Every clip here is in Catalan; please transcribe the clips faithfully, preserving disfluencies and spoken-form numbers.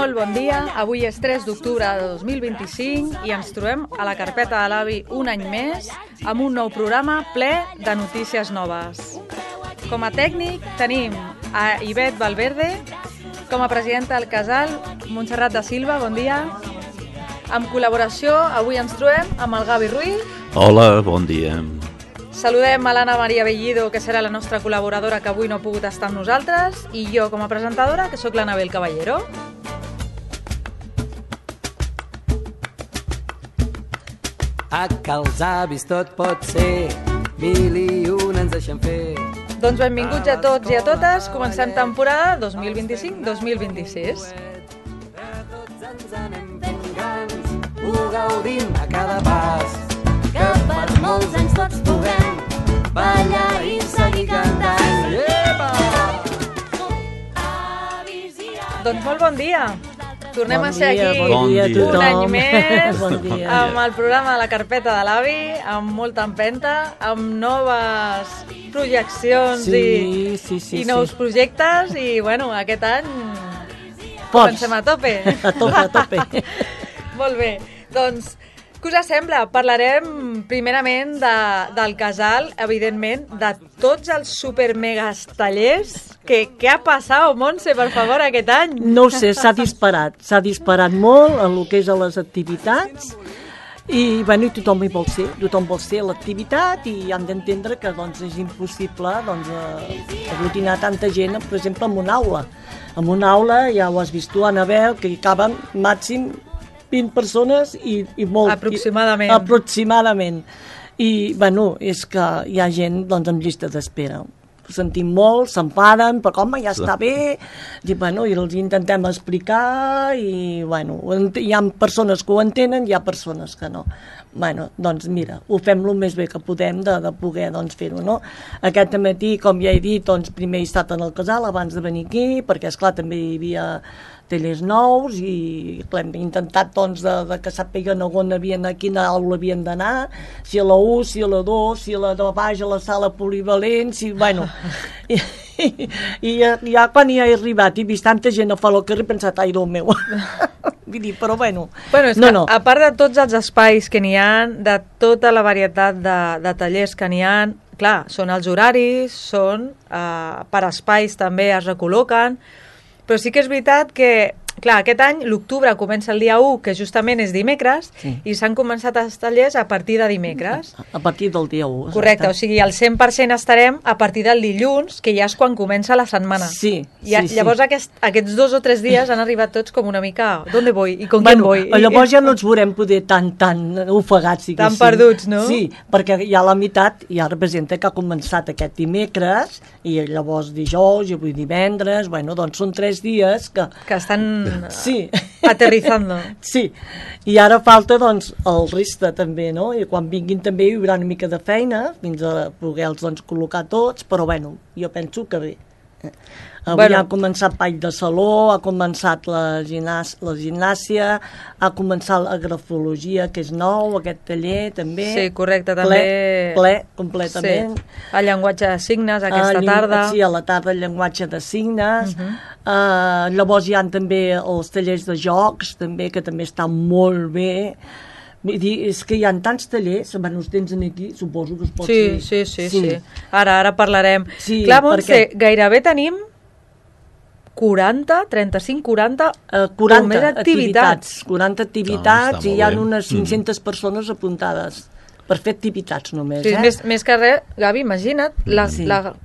Molt bon dia, avui és tres d'octubre de dos mil vint-i-cinc i ens trobem a la carpeta de l'Avi un any més amb un nou programa ple de notícies noves. Com a tècnic tenim a Ivet Valverde, com a presidenta del casal, Montserrat da Silva, bon dia. Amb col·laboració, avui ens trobem amb el Gavi Ruiz. Hola, bon dia. Saludem a l'Anna Maria Bellido, que serà la nostra col·laboradora, que avui no ha pogut estar amb nosaltres, i jo, com a presentadora, que sóc l'Anabel Caballero. A que els avis tot pot ser, mil i un ens deixen fer. Doncs benvinguts a tots i a totes, comencem temporada dos mil vint-i-cinc dos mil vint-i-sis. Tots ens anem fent grans, ho gaudim a cada pas, que per molts anys tots puguem ballar i seguir cantant. Epa! Doncs molt bon dia. Tornem bon a ser dia, aquí bon dia a un tothom. any més, Bon dia. amb el programa de la carpeta de l'Avi, amb molta empenta, amb noves projeccions Sí, i, sí, sí, i nous sí. projectes, i bueno, aquest any Pots. comencem a tope. A tope, a tope. Molt bé, doncs, què us sembla? Parlarem primerament de, del casal, evidentment, de tots els super-megas tallers. Que, què ha passat, Montse, per favor, aquest any? No ho sé, s'ha disparat. S'ha disparat molt en el que és a les activitats i, bueno, i tothom hi vol ser. Tothom vol ser a l'activitat i han d'entendre que doncs, és impossible doncs, eh, aglutinar tanta gent, per exemple, en una aula. En una aula, ja ho has vist tu, Anabel, que hi caben màxim vint persones i, i molt... Aproximadament. I, aproximadament. I, bueno, és que hi ha gent doncs, amb llista d'espera. Ho sentim molt, s'enfaden, però com, ja està bé, i, bueno, i els intentem explicar, i bueno, hi ha persones que ho entenen, hi ha persones que no. Bueno, doncs mira, ho fem el més bé que podem de, de poder doncs, fer-ho, no? Aquest matí, com ja he dit, doncs, primer he estat en el casal abans de venir aquí, perquè, esclar, també hi havia tallers nous i clar, hem intentat doncs, de, de que sàpiguen on havien, a quina aula havien d'anar, si a la u, si a la dos, si a la de baix, a la sala polivalent, si, bueno... I, i, i ja, ja quan hi he arribat i vist tanta gent a fora al carrer he pensat, ai, Déu meu... Vull dir, però bueno... Bueno, és no, que, no. a part de tots els espais que n'hi ha, de tota la varietat de, de tallers que n'hi ha, clar, són els horaris, són eh, per espais també es recol·loquen, però sí que és veritat que, clar, aquest any, l'octubre comença el dia u, que justament és dimecres, Sí. i s'han començat els tallers a partir de dimecres. A partir del dia u. Correcte, o sigui, al cent per cent estarem a partir del dilluns, que ja és quan comença la setmana. Sí, I a, sí, sí. llavors aquest, aquests dos o tres dies han arribat tots com una mica, ¿dónde voy? I con Bueno, quién voy? llavors ja no ens veurem poder tan, tan ofegats, diguéssim. Tan perduts, no? Sí, perquè ja la meitat ja representa que ha començat aquest dimecres, i llavors dijous, i avui divendres, bueno, doncs són tres dies que... Que estan Sí. aterrizando. Sí, i ara falta doncs el resta també, no? I quan vinguin també hi haurà una mica de feina fins a poder-los doncs, col·locar tots, però bueno, jo penso que bé. Avui Bueno. ha començat ball de saló, ha començat la, gimnàs, la gimnàsia, ha començat la grafologia, que és nou, aquest taller també. Sí, correcte, ple, també. Ple, completament. Sí. El llenguatge de signes aquesta Ah, llen- tarda. Sí, a la tarda el llenguatge de signes. Uh -huh. uh, llavors hi ha també els tallers de jocs, també, que també estan molt bé. Vull dir, és que hi ha tants tallers, bueno, els tens aquí, suposo que es pot Sí, dir. sí, sí, sí, sí. Ara, ara parlarem. Sí, Clar, Montse, perquè- gairebé tenim quaranta, trenta-cinc, quaranta, Uh, quaranta o més activitats. quaranta No, activitats està i hi ha molt bé. unes cinc-centes persones apuntades per fer activitats només, Sí, eh? més, més que res, Gavi, imagina't, la, Sí. la,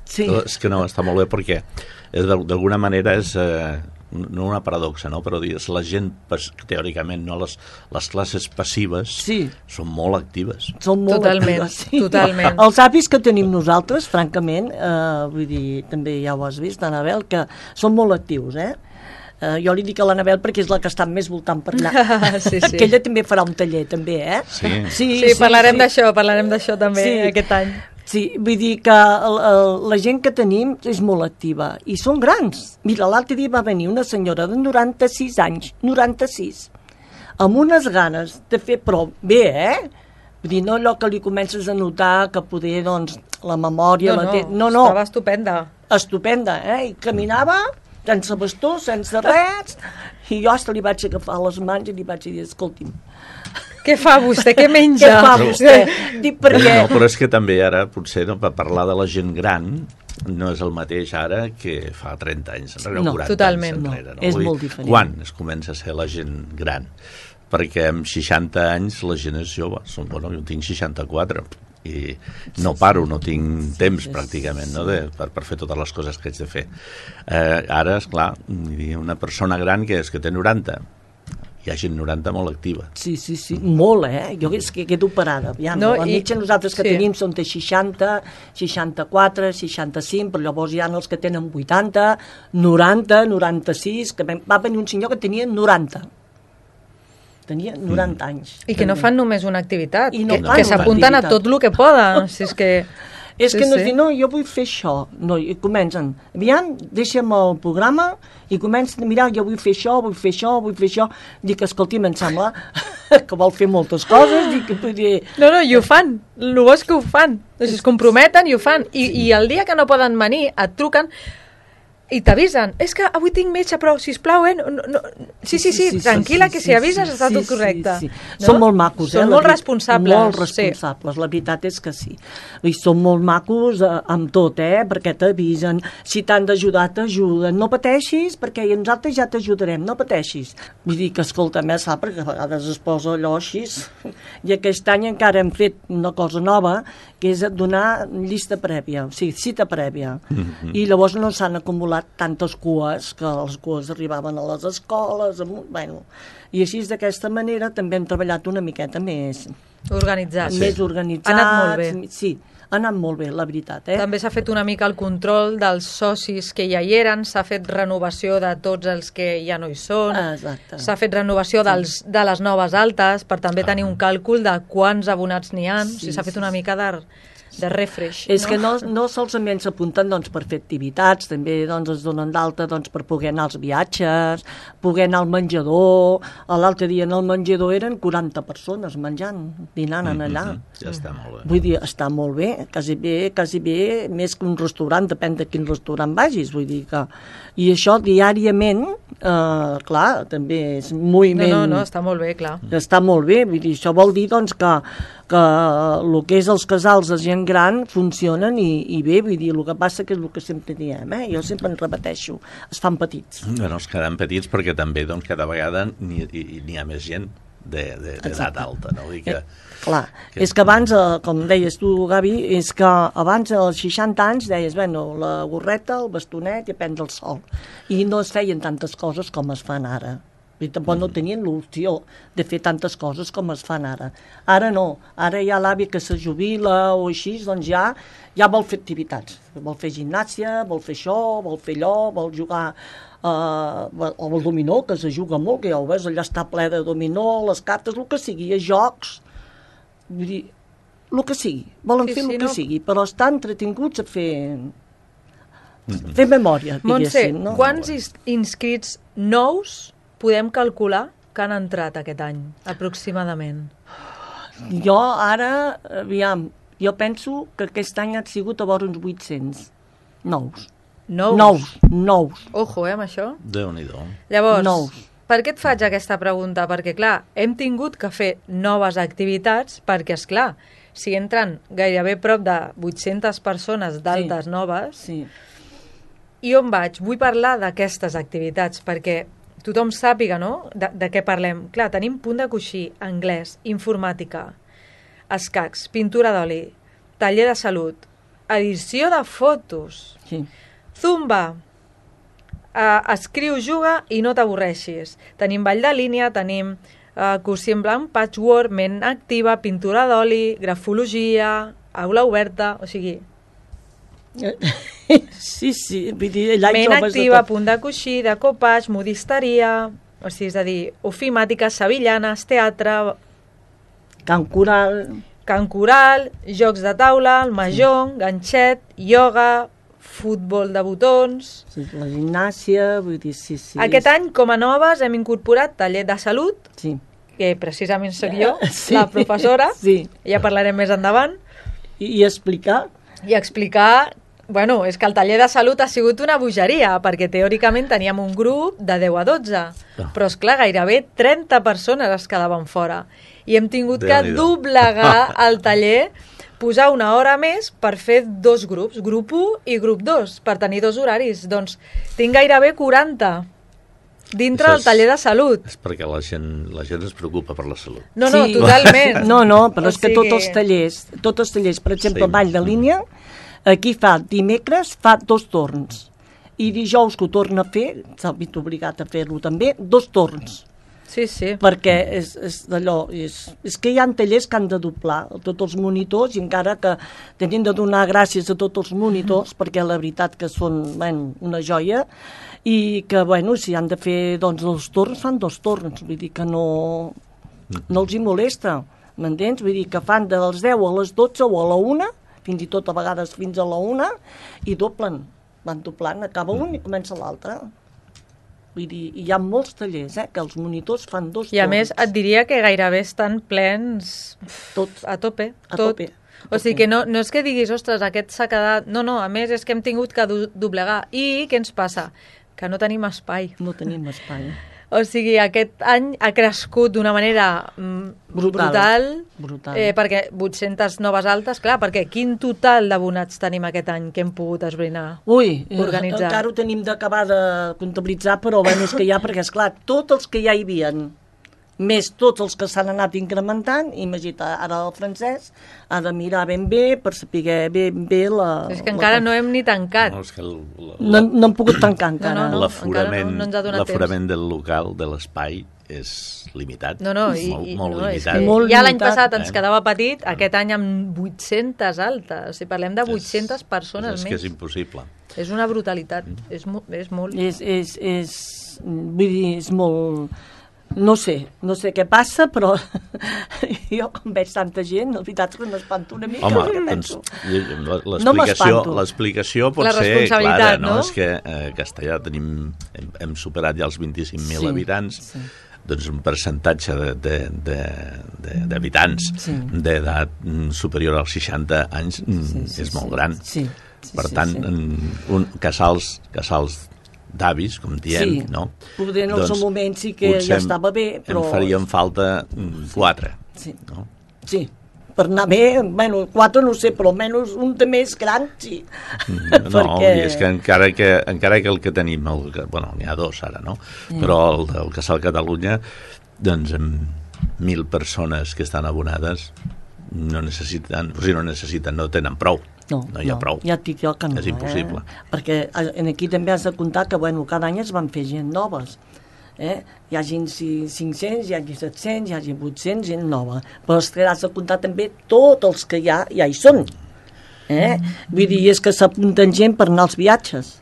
Sí. No, és que no, està molt bé perquè eh, d'al- d'alguna manera és eh, no una paradoxa, no? Però és la gent, pas- teòricament, no? les, les classes passives Sí. són molt actives. Són molt Totalment, actives, sí. totalment. Els avis que tenim nosaltres, francament, eh, vull dir, també ja ho has vist, Anabel, que són molt actius, eh? Eh, jo li dic a l'Anabel perquè és la que està més voltant per allà. Sí, sí. Que ella també farà un taller, també, eh? Sí. Sí, Sí, parlarem d'això, parlarem d'això també Sí. aquest any. Sí, vull dir que el, el, la gent que tenim és molt activa i són grans. Mira, l'altre dia va venir una senyora de noranta-sis anys, noranta-sis, amb unes ganes de fer, però bé, eh? Vull dir, no allò que li comences a notar que poder, doncs, la memòria... No, la no, té... no, no, estava estupenda. estupenda, eh? I caminava sense bastó, sense res, i jo hasta li vaig agafar les mans i li vaig dir, escolti'm, què fa vostè? Què què menja? fa vostè? Dic, perquè... No, però és que també ara, potser, no, per parlar de la gent gran, no és el mateix ara que fa trenta anys enrere, No, o quaranta totalment, anys no. enrere. No? És Vull dir, molt diferent. Quan es comença a ser la gent gran? Perquè amb seixanta anys la gent és jove. Som, bueno, jo tinc seixanta-quatre i no paro, no tinc temps pràcticament, no, de, per, per fer totes les coses que haig de fer. Eh, ara, esclar, una persona gran que és que té noranta, hi ha gent noranta molt activa. Sí, sí, sí, molt, eh? Jo és que quedo parada. Aviam, No, la i- mitja nosaltres que sí. tenim són de seixanta, seixanta-quatre, seixanta-cinc, però llavors hi ha els que tenen vuitanta, noranta, noranta-sis, que va venir un senyor que tenia noranta. Tenia noranta anys. I que no fan només una activitat, I no que, fan que una s'apunten a activitat. tot el que poden. Si és que... És Sí, que no sí. és dir, no, jo vull fer això. No, i comencen, aviam, deixa'm el programa i comencen a mirar, jo vull fer això, vull fer això, vull fer això. Dic, escolti'm, em sembla que vol fer moltes coses. Dic, vull dir, No, no, i ho fan. El bo és que ho fan. O sigui, es comprometen i ho fan. I, I el dia que no poden venir, et truquen i t'avisen. És que avui tinc metge, però, sisplau, eh? No, no, sí, sí, sí, tranquil·la, que si avises està tot correcte. Sí, sí. Són molt macos, eh? Són la molt veri- responsables. Molt responsables, sí. La veritat és que sí. I són molt macos eh, amb tot, eh? Perquè t'avisen, si t'han d'ajudar, t'ajuden. No pateixis, perquè nosaltres ja t'ajudarem, no pateixis. Vull dir que, escolta, més sap, perquè a vegades es posa allò així. I aquest any encara hem fet una cosa nova, que és donar llista prèvia, o sigui, cita prèvia. Mm-hmm. I llavors no s'han acumulat tantes cues, que les cues arribaven a les escoles, amb, bueno, i així d'aquesta manera també hem treballat una miqueta més, Organitzats. Sí. més organitzats. Ha anat molt bé. Sí, ha anat molt bé, la veritat. Eh? També s'ha fet una mica el control dels socis que ja hi eren, s'ha fet renovació de tots els que ja no hi són, Exacte. s'ha fet renovació dels, de les noves altes per també tenir un càlcul de quants abonats n'hi ha, Sí, o sigui, s'ha fet sí, una mica de, de refresh. És no? que no, no solament s'apunten doncs, per fer activitats, també doncs, es donen d'alta doncs, per poder anar als viatges, poder anar al menjador. L'altre dia en el menjador eren quaranta persones menjant, dinant en allà. Mm-hmm. Ja està molt bé. Vull dir, està molt bé, quasi bé, quasi bé, més que un restaurant, depèn de quin restaurant vagis, vull dir que... I això diàriament, eh, clar, també és un moviment... No, no, no, està molt bé, clar. Està molt bé, vull dir, això vol dir doncs, que, que el que és els casals de gent gran funcionen i, i bé, vull dir, el que passa que és el que sempre diem, eh? Jo sempre en repeteixo, es fan petits. Bueno, es queden petits perquè també doncs, cada vegada n'hi n'hi ha més gent d'edat de, de, alta, no? Vull dir que, Eh, clar, que- és que abans, eh, com deies tu, Gavi, és que abans, als seixanta anys, deies, bueno, la gorreta, el bastonet i a prendre el sol. I no es feien tantes coses com es fan ara. I tampoc no tenien l'opció de fer tantes coses com es fan ara. Ara no, ara hi ha l'avi que se jubila o així, doncs ja, ja vol fer activitats. Vol fer gimnàsia, vol fer això, vol fer allò, vol jugar uh, o el dominó, que se juga molt, que ja ho veus, allà està ple de dominó, les cartes, el que sigui, a jocs, vull dir, el que sigui, volen Sí, fer sí, el que no? sigui, però estan entretinguts a fer... fer memòria, Montse, diguéssim, no? quants is- inscrits nous podem calcular que han entrat aquest any, aproximadament? Jo ara, aviam, jo penso que aquest any han sigut a vora uns vuit-cents. Nous. Nous? Nous, nous. Ojo, eh, amb això. Déu-n'hi-do. Llavors, Nous. per què et faig aquesta pregunta? Perquè, clar, hem tingut que fer noves activitats perquè, és clar, si entren gairebé prop de vuit-centes persones d'altes Sí. noves, Sí. i on vaig? Vull parlar d'aquestes activitats perquè tothom sàpiga, no?, de, de què parlem. Clar, tenim punt de coixí, anglès, informàtica, escacs, pintura d'oli, taller de salut, edició de fotos, Sí. zumba, uh, escriu, juga i no t'avorreixis. Tenim ball de línia, tenim uh, cursi en blanc, patchwork, ment activa, pintura d'oli, grafologia, aula oberta, o sigui, Sí, sí, vull dir, allà hi ment trobes de activa, tot. punt de coixí, de copatge, modisteria, o sigui, és a dir, ofimàtiques, sevillanes, teatre, Can Coral, cant coral, jocs de taula, el mahjong, ganxet, ioga, futbol de botons... sí, la gimnàsia, vull dir, sí, sí. Aquest any, com a noves, hem incorporat taller de salut, Sí. que precisament sóc jo, Sí. la professora, Sí. ja parlarem més endavant, I, i explicar, i explicar Bueno, és que el taller de salut ha sigut una bogeria, perquè teòricament teníem un grup de deu a dotze, Ah. però és clar, gairebé trenta persones es quedaven fora. I hem tingut que Déu-n'hi-do. doblegar el taller, posar una hora més per fer dos grups, grup u i grup dos, per tenir dos horaris. Doncs tinc gairebé quaranta dintre Això del és- taller de salut. És perquè la gent, la gent es preocupa per la salut. No, no, Sí. totalment. No, no, però O és que sigui- tots els tallers, tots els tallers, per exemple, Sí. sí. Vall de Línia, aquí fa dimecres, fa dos torns. I dijous que ho torna a fer, s'ha vist obligat a fer-lo també, dos torns. Sí, sí. Perquè és, és d'allò, és, és que hi ha tallers que han de doblar tots els monitors i encara que tenim de donar gràcies a tots els monitors, perquè la veritat que són bueno, una joia, i que, bueno, si han de fer doncs, dos torns, fan dos torns, vull dir que no, no els hi molesta, m'entens? Vull dir que fan de les deu a les dotze o a la una, fins i tot a vegades fins a la una, i doblen, van doblant, acaba un i comença l'altre. Vull dir, hi ha molts tallers, eh, que els monitors fan dos I a torns. més et diria que gairebé estan plens Tots. a tope. A tot. tope. O sigui que no, no és que diguis, ostres, aquest s'ha quedat... No, no, a més és que hem tingut que do doblegar. I què ens passa? Que no tenim espai. No tenim espai. O sigui, aquest any ha crescut d'una manera mm, Brutal. brutal, Brutal. Eh, perquè vuit-centes noves altes, clar, perquè quin total d'abonats tenim aquest any que hem pogut esbrinar? Ui, eh, Organitzar. encara ho tenim d'acabar de comptabilitzar, però bueno, és que hi ha, perquè esclar, tots els que ja hi havien, més tots els que s'han anat incrementant, imagina't, ara el francès ha de mirar ben bé per saber ben bé la... És que encara no hem ni tancat. No, és que el, la, No, no hem pogut tancar encara. No, no, no. l'aforament encara no- no ens ha donat l'aforament del local, de l'espai, és limitat. No, no, i, molt, i, molt no, és limitat. que Molt ja l'any limitat. passat ens Eh? quedava petit, aquest any amb vuit-centes altes. Si parlem de vuit-centes persones és, és més. que és impossible. És una brutalitat, és, mo és molt... És, és, és, vull dir, és molt... No sé, no sé què passa, però jo quan veig tanta gent, la veritat és que m'espanto una mica. Home, perquè doncs, penso, l'explicació No m'espanto. l'explicació pot La ser responsabilitat, clara, no? no? És que eh, a Castellà tenim, hem, hem superat ja els vint-i-cinc mil Sí, habitants, sí. doncs un percentatge d'habitants de, de, de, d'habitants Sí. d'edat mm, superior als seixanta anys mm, Sí, sí, és sí. molt gran. Sí, sí, Per sí, tant, sí. mm, un, casals, casals d'avis, com diem, Sí, no? poder en el seu moment sí que potser ja estava bé, però... em farien falta mm, quatre, Sí. no? Sí, per anar bé, bueno, quatre no ho sé, però almenys un de més gran, sí. No, Perquè- i és que encara que, encara que el que tenim, el, que- bueno, n'hi ha dos ara, no? Mm. Però el del Casal Catalunya, doncs amb mil persones que estan abonades no necessiten, o sigui, no necessiten, no tenen prou. No, no hi ha prou. Ja et dic jo que no. És impossible. Eh? Perquè eh, en aquí també has de comptar que bueno, cada any es van fer gent noves. Eh? Hi ha gent cinc-cents, hi ha set-cents, hi ha vuit-cents, gent nova. Però és que has de comptar també tots els que hi ha, ja hi són. Eh? Vull dir, és que s'apunten gent per anar als viatges.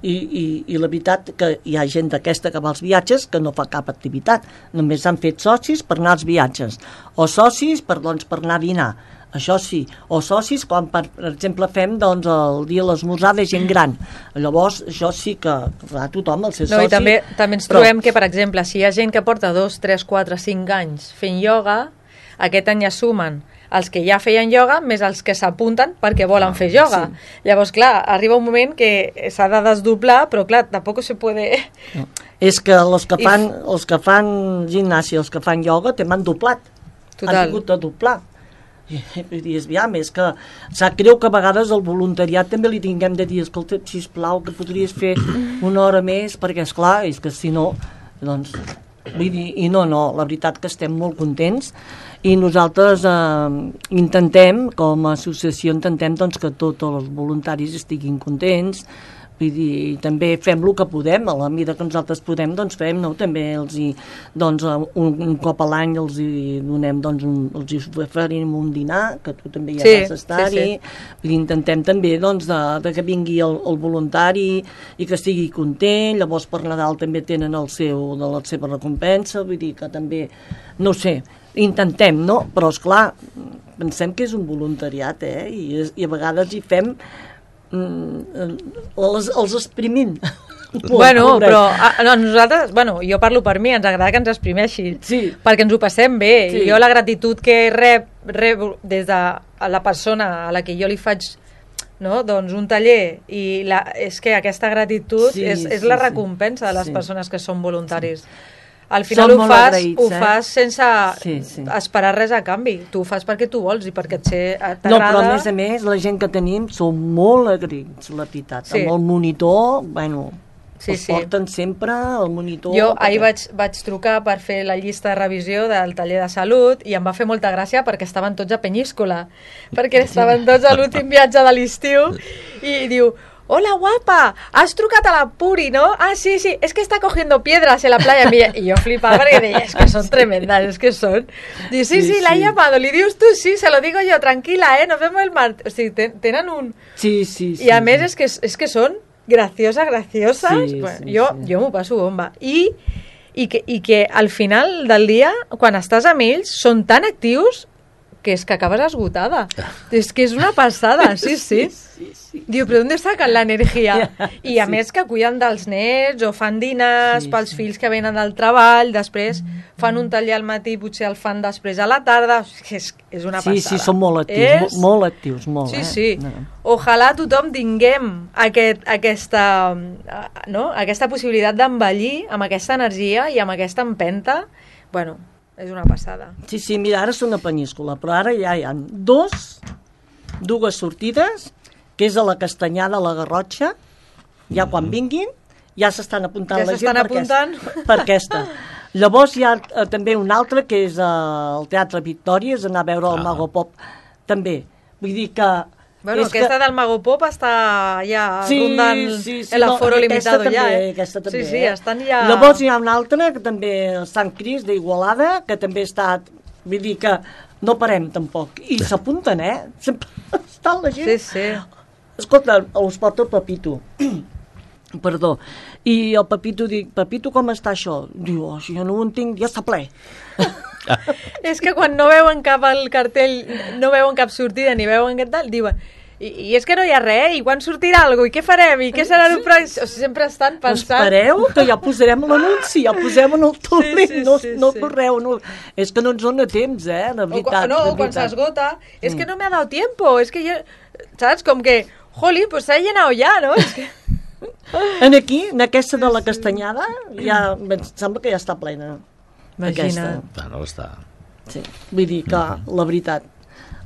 I, i, i la veritat que hi ha gent d'aquesta que va als viatges que no fa cap activitat, només han fet socis per anar als viatges, o socis per, doncs, per anar a dinar, això sí, o socis quan per, per exemple fem doncs, el dia de l'esmorzar de gent gran, llavors això sí que clar, tothom el ser No, soci i també, també ens però- trobem que, per exemple, si hi ha gent que porta dos, tres, quatre, cinc anys fent ioga, aquest any ja sumen els que ja feien ioga més els que s'apunten perquè volen fer ioga. Sí. Llavors, clar, arriba un moment que s'ha de desdoblar, però clar, tampoc se puede... No. És que els que I fan, f- els que fan gimnàsia, els que fan ioga, també han doblat. Total. Han hagut de doblar. I, vull dir, és, ja, més que sap greu que a vegades el voluntariat també li tinguem de dir, escolta, sisplau, que podries fer una hora més, perquè, esclar, és que si no, doncs... Vull dir, i no, no, la veritat que estem molt contents i nosaltres eh, intentem, com a associació, intentem doncs, que tots els voluntaris estiguin contents, vull dir, també fem el que podem, a la mida que nosaltres podem, doncs fem, no? També els hi, doncs, un, un cop a l'any els hi donem, doncs, un, els hi oferim un dinar, que tu també ja Sí, vas estar-hi, sí, sí. vull dir, intentem també, doncs, de, de que vingui el, el voluntari i que estigui content, llavors per Nadal també tenen el seu, de la seva recompensa, vull dir que també, no sé, intentem, no? Però, esclar, pensem que és un voluntariat, eh? I, és- i a vegades hi fem mm, els, els exprimint. Bueno, Pobret. però a, no, nosaltres, bueno, jo parlo per mi, ens agrada que ens exprimeixi, Sí. perquè ens ho passem bé. Sí. I jo la gratitud que rep, rep des de la persona a la que jo li faig no? Doncs un taller, i la, és que aquesta gratitud Sí, és, és sí, la sí. recompensa de les Sí. persones que són voluntaris. Al final Som ho molt fas, agraïts, ho eh? fas sense Sí, sí. esperar res a canvi. Tu ho fas perquè tu vols i perquè et sé- t'agrada. No, però a més a més, la gent que tenim són molt agraïts, la veritat. Sí. Amb el monitor, bueno, Sí, els sí. porten sempre el monitor. Jo perquè- ahir vaig, vaig trucar per fer la llista de revisió del taller de salut i em va fer molta gràcia perquè estaven tots a Penyíscola, perquè estaven tots a l'últim viatge de l'estiu i diu: hola guapa, has trucat a la Puri, ¿no? Ah, sí, sí, es que está cogiendo piedras en la playa. Y yo flipaba porque decía, es que son tremendas, es que son. Dice, sí, sí, Sí, la he sí. llamado. Le dius tú, sí, se lo digo yo, tranquila, ¿eh? Nos vemos el martes. O sigui, ten- tenen un... Sí, sí, sí. I a més és que, és que són gracioses, gracioses. Sí, Bueno, sí, jo sí. jo m'ho passo bomba. I, i, que, I que al final del dia, quan estàs amb ells, són tan actius que és que acabes esgotada. És que és una passada, sí, sí. Sí, sí. Diu, però on sacan la energia? I a Sí. més que cuiden dels nets o fan dinars Sí, pels sí. fills que venen del treball, després fan un taller al matí, potser el fan després a la tarda. És, és una Sí, passada. sí, són molt actius, És... mo- molt actius, molt, Sí, eh? sí. No. Ojalà tothom tinguem aquest, aquesta, eh, no? aquesta possibilitat d'envellir amb aquesta energia i amb aquesta empenta. Bueno, és una passada. Sí, sí, mira, ara són a Penyíscola, però ara ja hi ha dos, dues sortides, que és a la Castanyada, a la Garrotxa, ja quan vinguin, ja s'estan apuntant Ja la gent s'estan per apuntant. aquesta, per aquesta. Llavors hi ha eh, també una altra, que és eh, el Teatre Victòria, és anar a veure el Ah. Mago Pop, també. Vull dir que... Bueno, és aquesta del Mago Pop està ja Sí, rondant sí, sí, el aforo no, limitado aquesta ja, també, eh? Aquesta també, sí, sí, eh? estan ja... Llavors hi ha una altra, que també el Sant Cris d'Igualada, que també està... Vull dir que no parem tampoc. I s'apunten, eh? Sempre està la gent... Sí, sí. Escolta, us porta el Pepito. Perdó. I el Pepito dic, Pepito, com està això? Diu, oh, si jo no ho entenc, ja està ple. És que quan no veuen cap al cartell, no veuen cap sortida ni veuen què tal, diuen i, i és que no hi ha res, i quan sortirà alguna cosa, i què farem, i què serà el pròxim? O sigui, sempre estan pensant... Espereu, que ja posarem l'anunci, ja posem en el torrent, sí, no, sí, no sí. correu. No. És que no ens dona temps, eh, de O, veritat. quan- no, de o quan veritat. s'esgota, és que no me ha dado tiempo, és que jo... Saps? Com que, joli, pues s'ha llenat ja, no? És que... En aquí, en aquesta de la Castanyada, ja, em sembla que ja està plena. Imagina't. Bueno, està... Sí. Vull dir que, la veritat,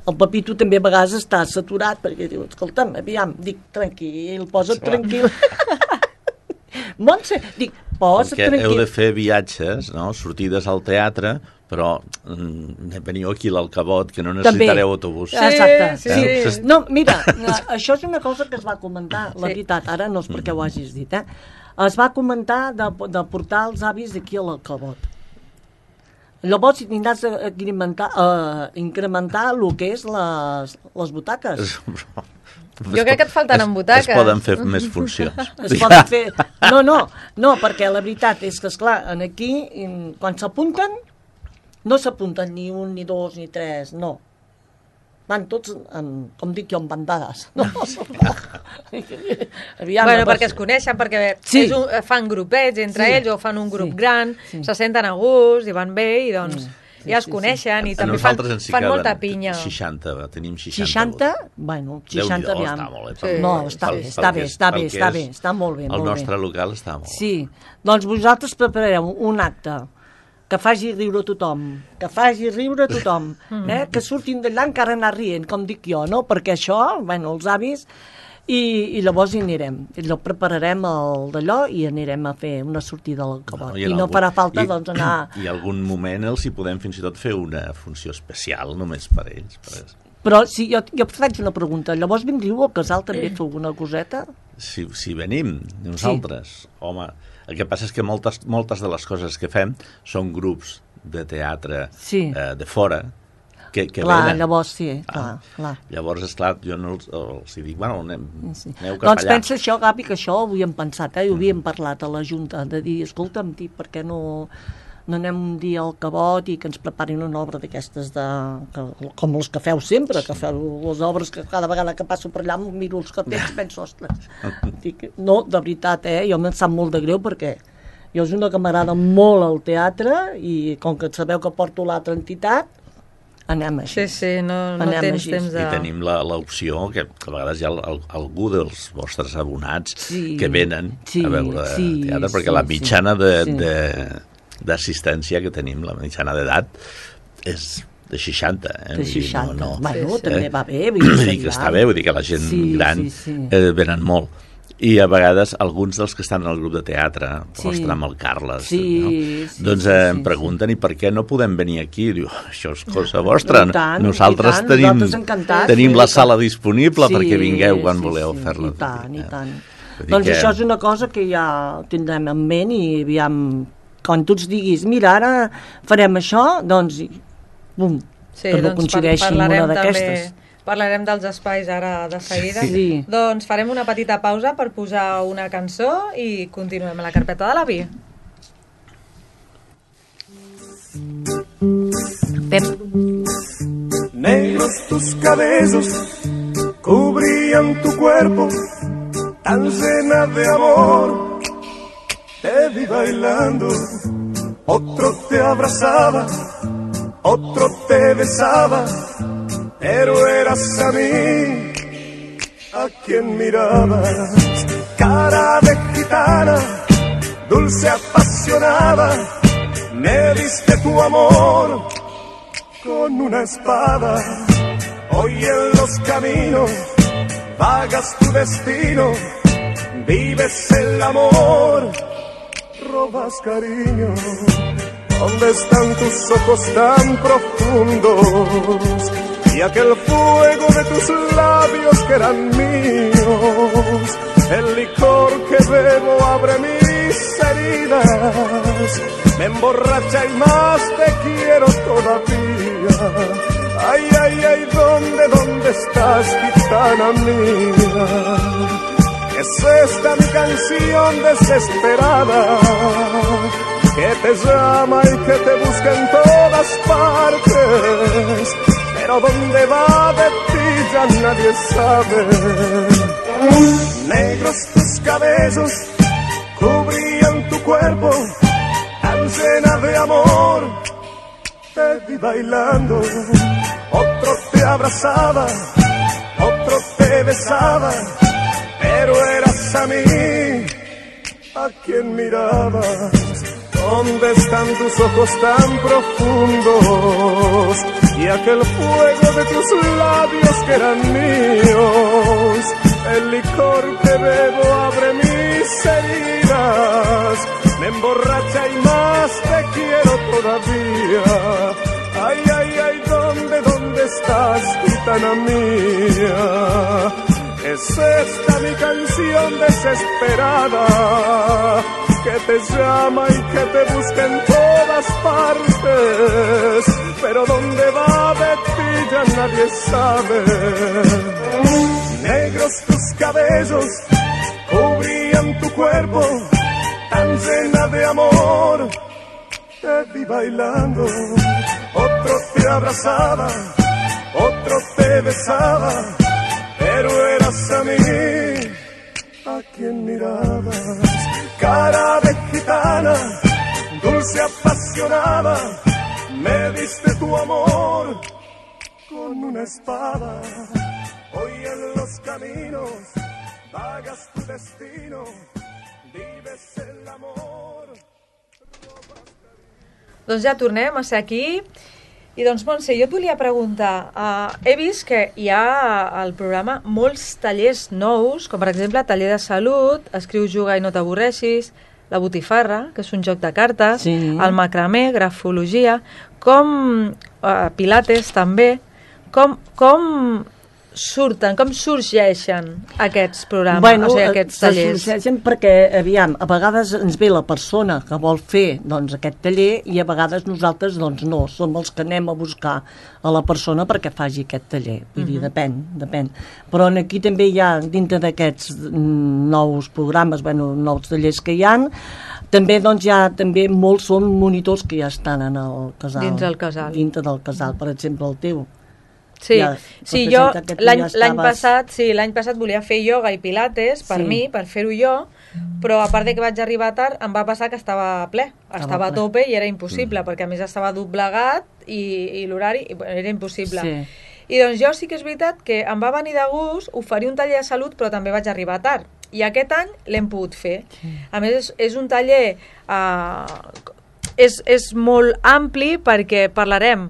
el Pepito també a vegades està saturat, perquè diu, escolta'm, aviam, dic, tranquil, posa't Clar. tranquil. Montse, dic, posa't Perquè heu tranquil. de fer viatges, no? Sortides al teatre, però mm, veniu aquí a l'Alcabot, que no necessitareu autobús. Sí, Exacte. sí, sí. Sí. No, mira, això és una cosa que es va comentar, la Sí. veritat, ara no és perquè ho hagis dit, eh? Es va comentar de, de portar els avis aquí a l'Alcabot. Llavors si tindràs a incrementar, a incrementar el que és les, les butaques. Jo crec que et faltaran Es- butaques. Es poden fer més funcions. Es poden fer... No, no, no, perquè la veritat és que, esclar, en aquí, en- quan s'apunten, no s'apunten ni un, ni dos, ni tres, no. Van tots, en, com dic jo, en bandades. No? Aviam, Bueno, no perquè pot es ser. coneixen, perquè Sí. és un, fan grupets entre Sí. ells o fan un grup Sí. gran, Sí. se senten a gust i van bé i doncs Mm. Sí, ja es sí, coneixen i A també fan, nosaltres ens hi fan caben molta pinya. seixanta, tenim seixanta. seixanta? Bueno, seixanta, Déu-n'hi-do, aviam. està molt bé. Sí. No, està Pel- bé, pel està que bé, és- està pel bé, que està és bé, està molt bé, El molt nostre bé. local està molt Sí, doncs vosaltres prepareu un acte que faci riure tothom, que faci riure tothom, eh? Que surtin d'allà encara anar rient, com dic jo, no? Perquè això, bueno, els avis, i, i llavors hi anirem. I llavors prepararem el d'allò i anirem a fer una sortida al Cabot. Bueno, I, en no algun- farà falta, i- doncs, anar... I algun moment els hi podem fins i tot fer una funció especial només per ells. Per... Però si jo, jo faig una pregunta, llavors vindríeu al casal també a fer alguna coseta? Si, si venim nosaltres, sí. Home, el que passa és que moltes, moltes de les coses que fem són grups de teatre Sí. eh, de fora que, que Clar, venen. llavors sí, clar, Ah. clar. Llavors, esclar, jo no els, els hi dic, bueno, anem, Sí. aneu cap Doncs allà. pensa això, Gavi, que això ho havíem pensat, eh? Ho havíem parlat a la Junta, de dir, escolta'm, tio, per què no, no anem un dia al Cabot i que ens preparin una obra d'aquestes, de, que, com les que feu sempre, que feu les obres que cada vegada que passo per allà em miro els cartells i penso, ostres, dic, no, de veritat, eh? Jo me'n sap molt de greu perquè jo és una que m'agrada molt el teatre i com que sabeu que porto l'altra entitat, anem així. Sí, sí, no, no Anem tens així. temps de... I tenim la- l'opció, que a vegades hi ha el- algú dels vostres abonats Sí. que venen Sí, a veure sí, teatre, perquè sí, la sí. mitjana de- Sí. de- d'assistència que tenim, la mitjana d'edat, és de seixanta. Eh? De Vull dir, seixanta. No, no, Bueno, Sí, sí. també va bé. Vull Vull dir, dir que ja. està bé, vull dir que la gent Sí, gran sí, sí. Eh, venen molt. I a vegades alguns dels que estan al grup de teatre, Sí. ostres, amb el Carles, Sí, no? sí, doncs sí, eh, sí, em sí. pregunten i per què no podem venir aquí? Diu, això és cosa vostra. I tant, Nosaltres i tant, tenim, nosaltres encantats, tenim sí, la i tant. sala disponible Sí, perquè vingueu quan sí, voleu sí, fer-la. I tant, i tant. Vull dir Doncs que- això és una cosa que ja tindrem en ment i aviam, quan tu ens diguis, mira, ara farem això, doncs, i- bum, Sí, que no doncs coincideixi amb parlarem una també- d'aquestes. Parlarem dels espais ara de seguida. Sí. Doncs farem una petita pausa per posar una cançó i continuem a la carpeta de l'avi. Pep. Negros tus cabellos cubrían tu cuerpo, tan llena de amor. Te vi bailando, otro te abrazaba, otro te besaba, pero eras a mí a quien mirabas. Cara de gitana, dulce apasionada, me diste tu amor con una espada. Hoy en los caminos vagas tu destino, vives el amor, robas cariño. ¿Dónde están tus ojos tan profundos y aquel fuego de tus labios que eran míos? El licor que bebo abre mis heridas, me emborracha y más te quiero todavía. Ay, ay, ay, ¿dónde, dónde estás, gitana mía? Es esta mi canción desesperada, que te llama y que te busca en todas partes, pero dónde va de ti ya nadie sabe. Negros tus cabellos cubrían tu cuerpo, tan llena de amor. Te vi bailando, otro te abrazaba, otro te besaba, pero eras a mí a quien mirabas. ¿Dónde están tus ojos tan profundos y aquel fuego de tus labios que eran míos? El licor que bebo abre mis heridas, me emborracha y más te quiero todavía. Ay, ay, ay, ¿dónde, dónde estás, gitana mía? Es esta mi canción desesperada, que te llama y que te busca en todas partes, pero dónde va de ti ya nadie sabe. Negros tus cabellos cubrían tu cuerpo, tan llena de amor. Te vi bailando, otro te abrazaba, otro te besaba, pero eras a mí a quien mirabas. Cara de gitana, dulce apasionada, me diste tu amor con una espada. Hoy en los caminos vagas tu destino, vives el amor. Doncs ja tornem a ser aquí. I doncs, Montse, jo et volia preguntar, uh, he vist que hi ha al programa molts tallers nous, com per exemple taller de salut, escriu, juga i no t'avorreixis, la botifarra, que és un joc de cartes, Sí. el macramé, grafologia, com uh, pilates també, com, com surten, com sorgeixen aquests programes, Bueno, o sigui, aquests se tallers? sorgeixen perquè, aviam, a vegades ens ve la persona que vol fer doncs, aquest taller i a vegades nosaltres doncs, no, som els que anem a buscar a la persona perquè faci aquest taller. Vull dir, depèn, depèn. Però aquí també hi ha, dintre d'aquests mm, nous programes, bueno, nous tallers que hi han, també doncs, hi ha també molts són monitors que ja estan en el casal. Dins el casal. Dintre del casal, per exemple, el teu. Sí, ja sí jo representa que tu l'any ja l'any estaves- passat, sí, l'any passat volia fer ioga i pilates per Sí. mi, per fer-ho jo, però a part de que vaig arribar tard, em va passar que estava ple, estava a ple. tope i era impossible, perquè a més estava doblegat i, i l'horari i, bueno, era impossible. Sí. I doncs jo sí que és veritat que em va venir de gust oferir un taller de salut, però també vaig arribar tard. I aquest any l'hem pogut fer. A més, és, és un taller... Eh, és, és molt ampli perquè parlarem,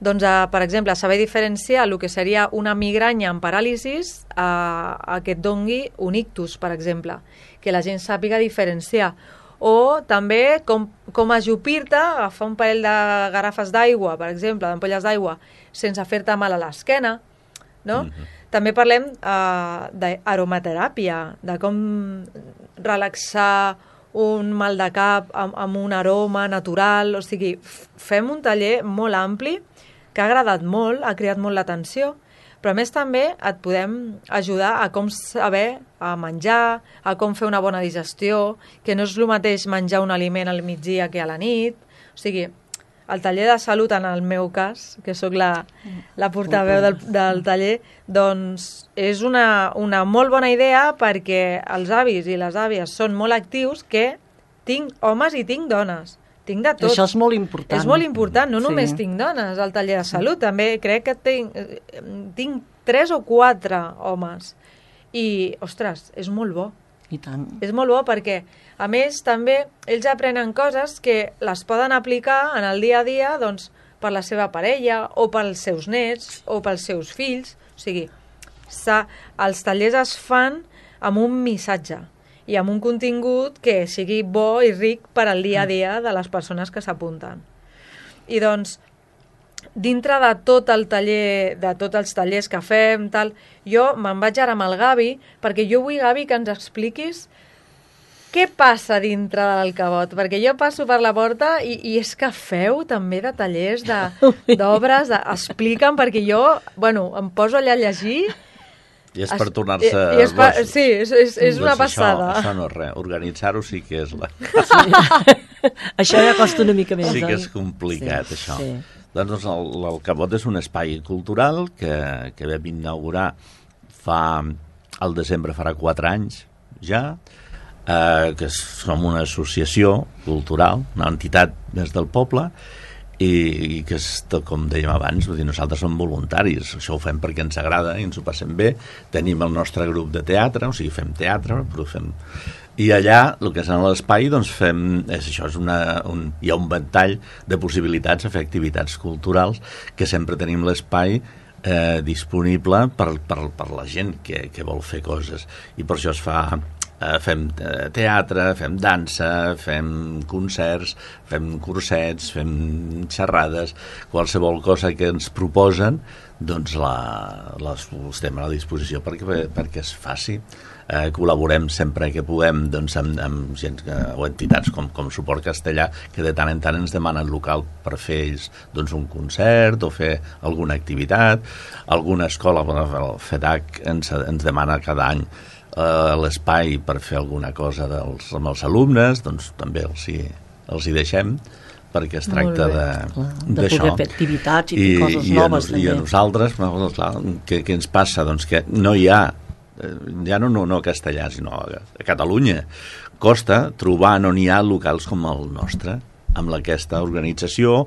doncs, a, per exemple, a saber diferenciar el que seria una migranya amb paràlisis a, a que et dongui un ictus, per exemple, que la gent sàpiga diferenciar. O també com, com ajupir-te, agafar un parell de garrafes d'aigua, per exemple, d'ampolles d'aigua, sense fer-te mal a l'esquena, no? Mm-hmm. També parlem uh, d'aromateràpia, de com relaxar un mal de cap amb, amb un aroma natural, o sigui, fem un taller molt ampli que ha agradat molt, ha cridat molt l'atenció, però a més també et podem ajudar a com saber a menjar, a com fer una bona digestió, que no és el mateix menjar un aliment al migdia que a la nit, o sigui, el taller de salut, en el meu cas, que sóc la, la portaveu del, del taller, doncs és una, una molt bona idea perquè els avis i les àvies són molt actius, que tinc homes i tinc dones. Tinc de tot. Això és molt important. És molt important, no Sí. només tinc dones al taller de salut, també crec que tinc, tinc tres o quatre homes. I, ostres, és molt bo. I tant. És molt bo perquè, a més, també ells aprenen coses que les poden aplicar en el dia a dia, doncs, per la seva parella, o pels seus nets, o pels seus fills. O sigui, els tallers es fan amb un missatge i amb un contingut que sigui bo i ric per al dia a dia de les persones que s'apunten. I doncs, dintre de tot el taller, de tots els tallers que fem, tal, jo me'n vaig ara amb el Gavi, perquè jo vull, Gavi, que ens expliquis què passa dintre de l'Alcavot, perquè jo passo per la porta i, i és que feu també de tallers d'obres, de, explica'm, perquè jo, bueno, em poso allà a llegir. I és per tornar-se i, i és per, gossos. Sí, és, és, és una doncs passada. Això, això no és res. Organitzar-ho sí que és la... Sí. Això ja costa una mica més. Sí que oi? és complicat, sí, això. Sí. Doncs el- l'Alcavot és un espai cultural que, que vam inaugurar fa... al desembre farà quatre anys ja, eh, que som una associació cultural, una entitat més del poble, i, i que, és, com dèiem abans, vull dir, nosaltres som voluntaris, això ho fem perquè ens agrada i ens ho passem bé. Tenim el nostre grup de teatre, o sigui, fem teatre, però fem... I allà, el que és en l'espai, doncs fem... És, això és una, un, hi ha un ventall de possibilitats a fer activitats culturals, que sempre tenim l'espai eh, disponible per, per, per la gent que, que vol fer coses. I per això es fa... Eh, fem teatre, fem dansa, fem concerts, fem cursets, fem xerrades, qualsevol cosa que ens proposen, doncs la, les estem a la disposició perquè, perquè es faci. Eh, col·laborem sempre que puguem, doncs, amb, amb gent que, o entitats com, com Suport Castellà, que de tant en tant ens demanen local per fer ells, doncs, un concert o fer alguna activitat. Alguna escola, el FEDAC ens, ens demana cada any a l'espai per fer alguna cosa dels, amb els alumnes, doncs també els hi, els hi deixem, perquè es tracta de, de poder fer activitats i, i fer coses i noves. A, I a nosaltres, clar, què, què ens passa? Doncs que no hi ha, ja no, no, no a Castellà, sinó a, a Catalunya, costa trobar, no n'hi ha locals com el nostre, amb aquesta organització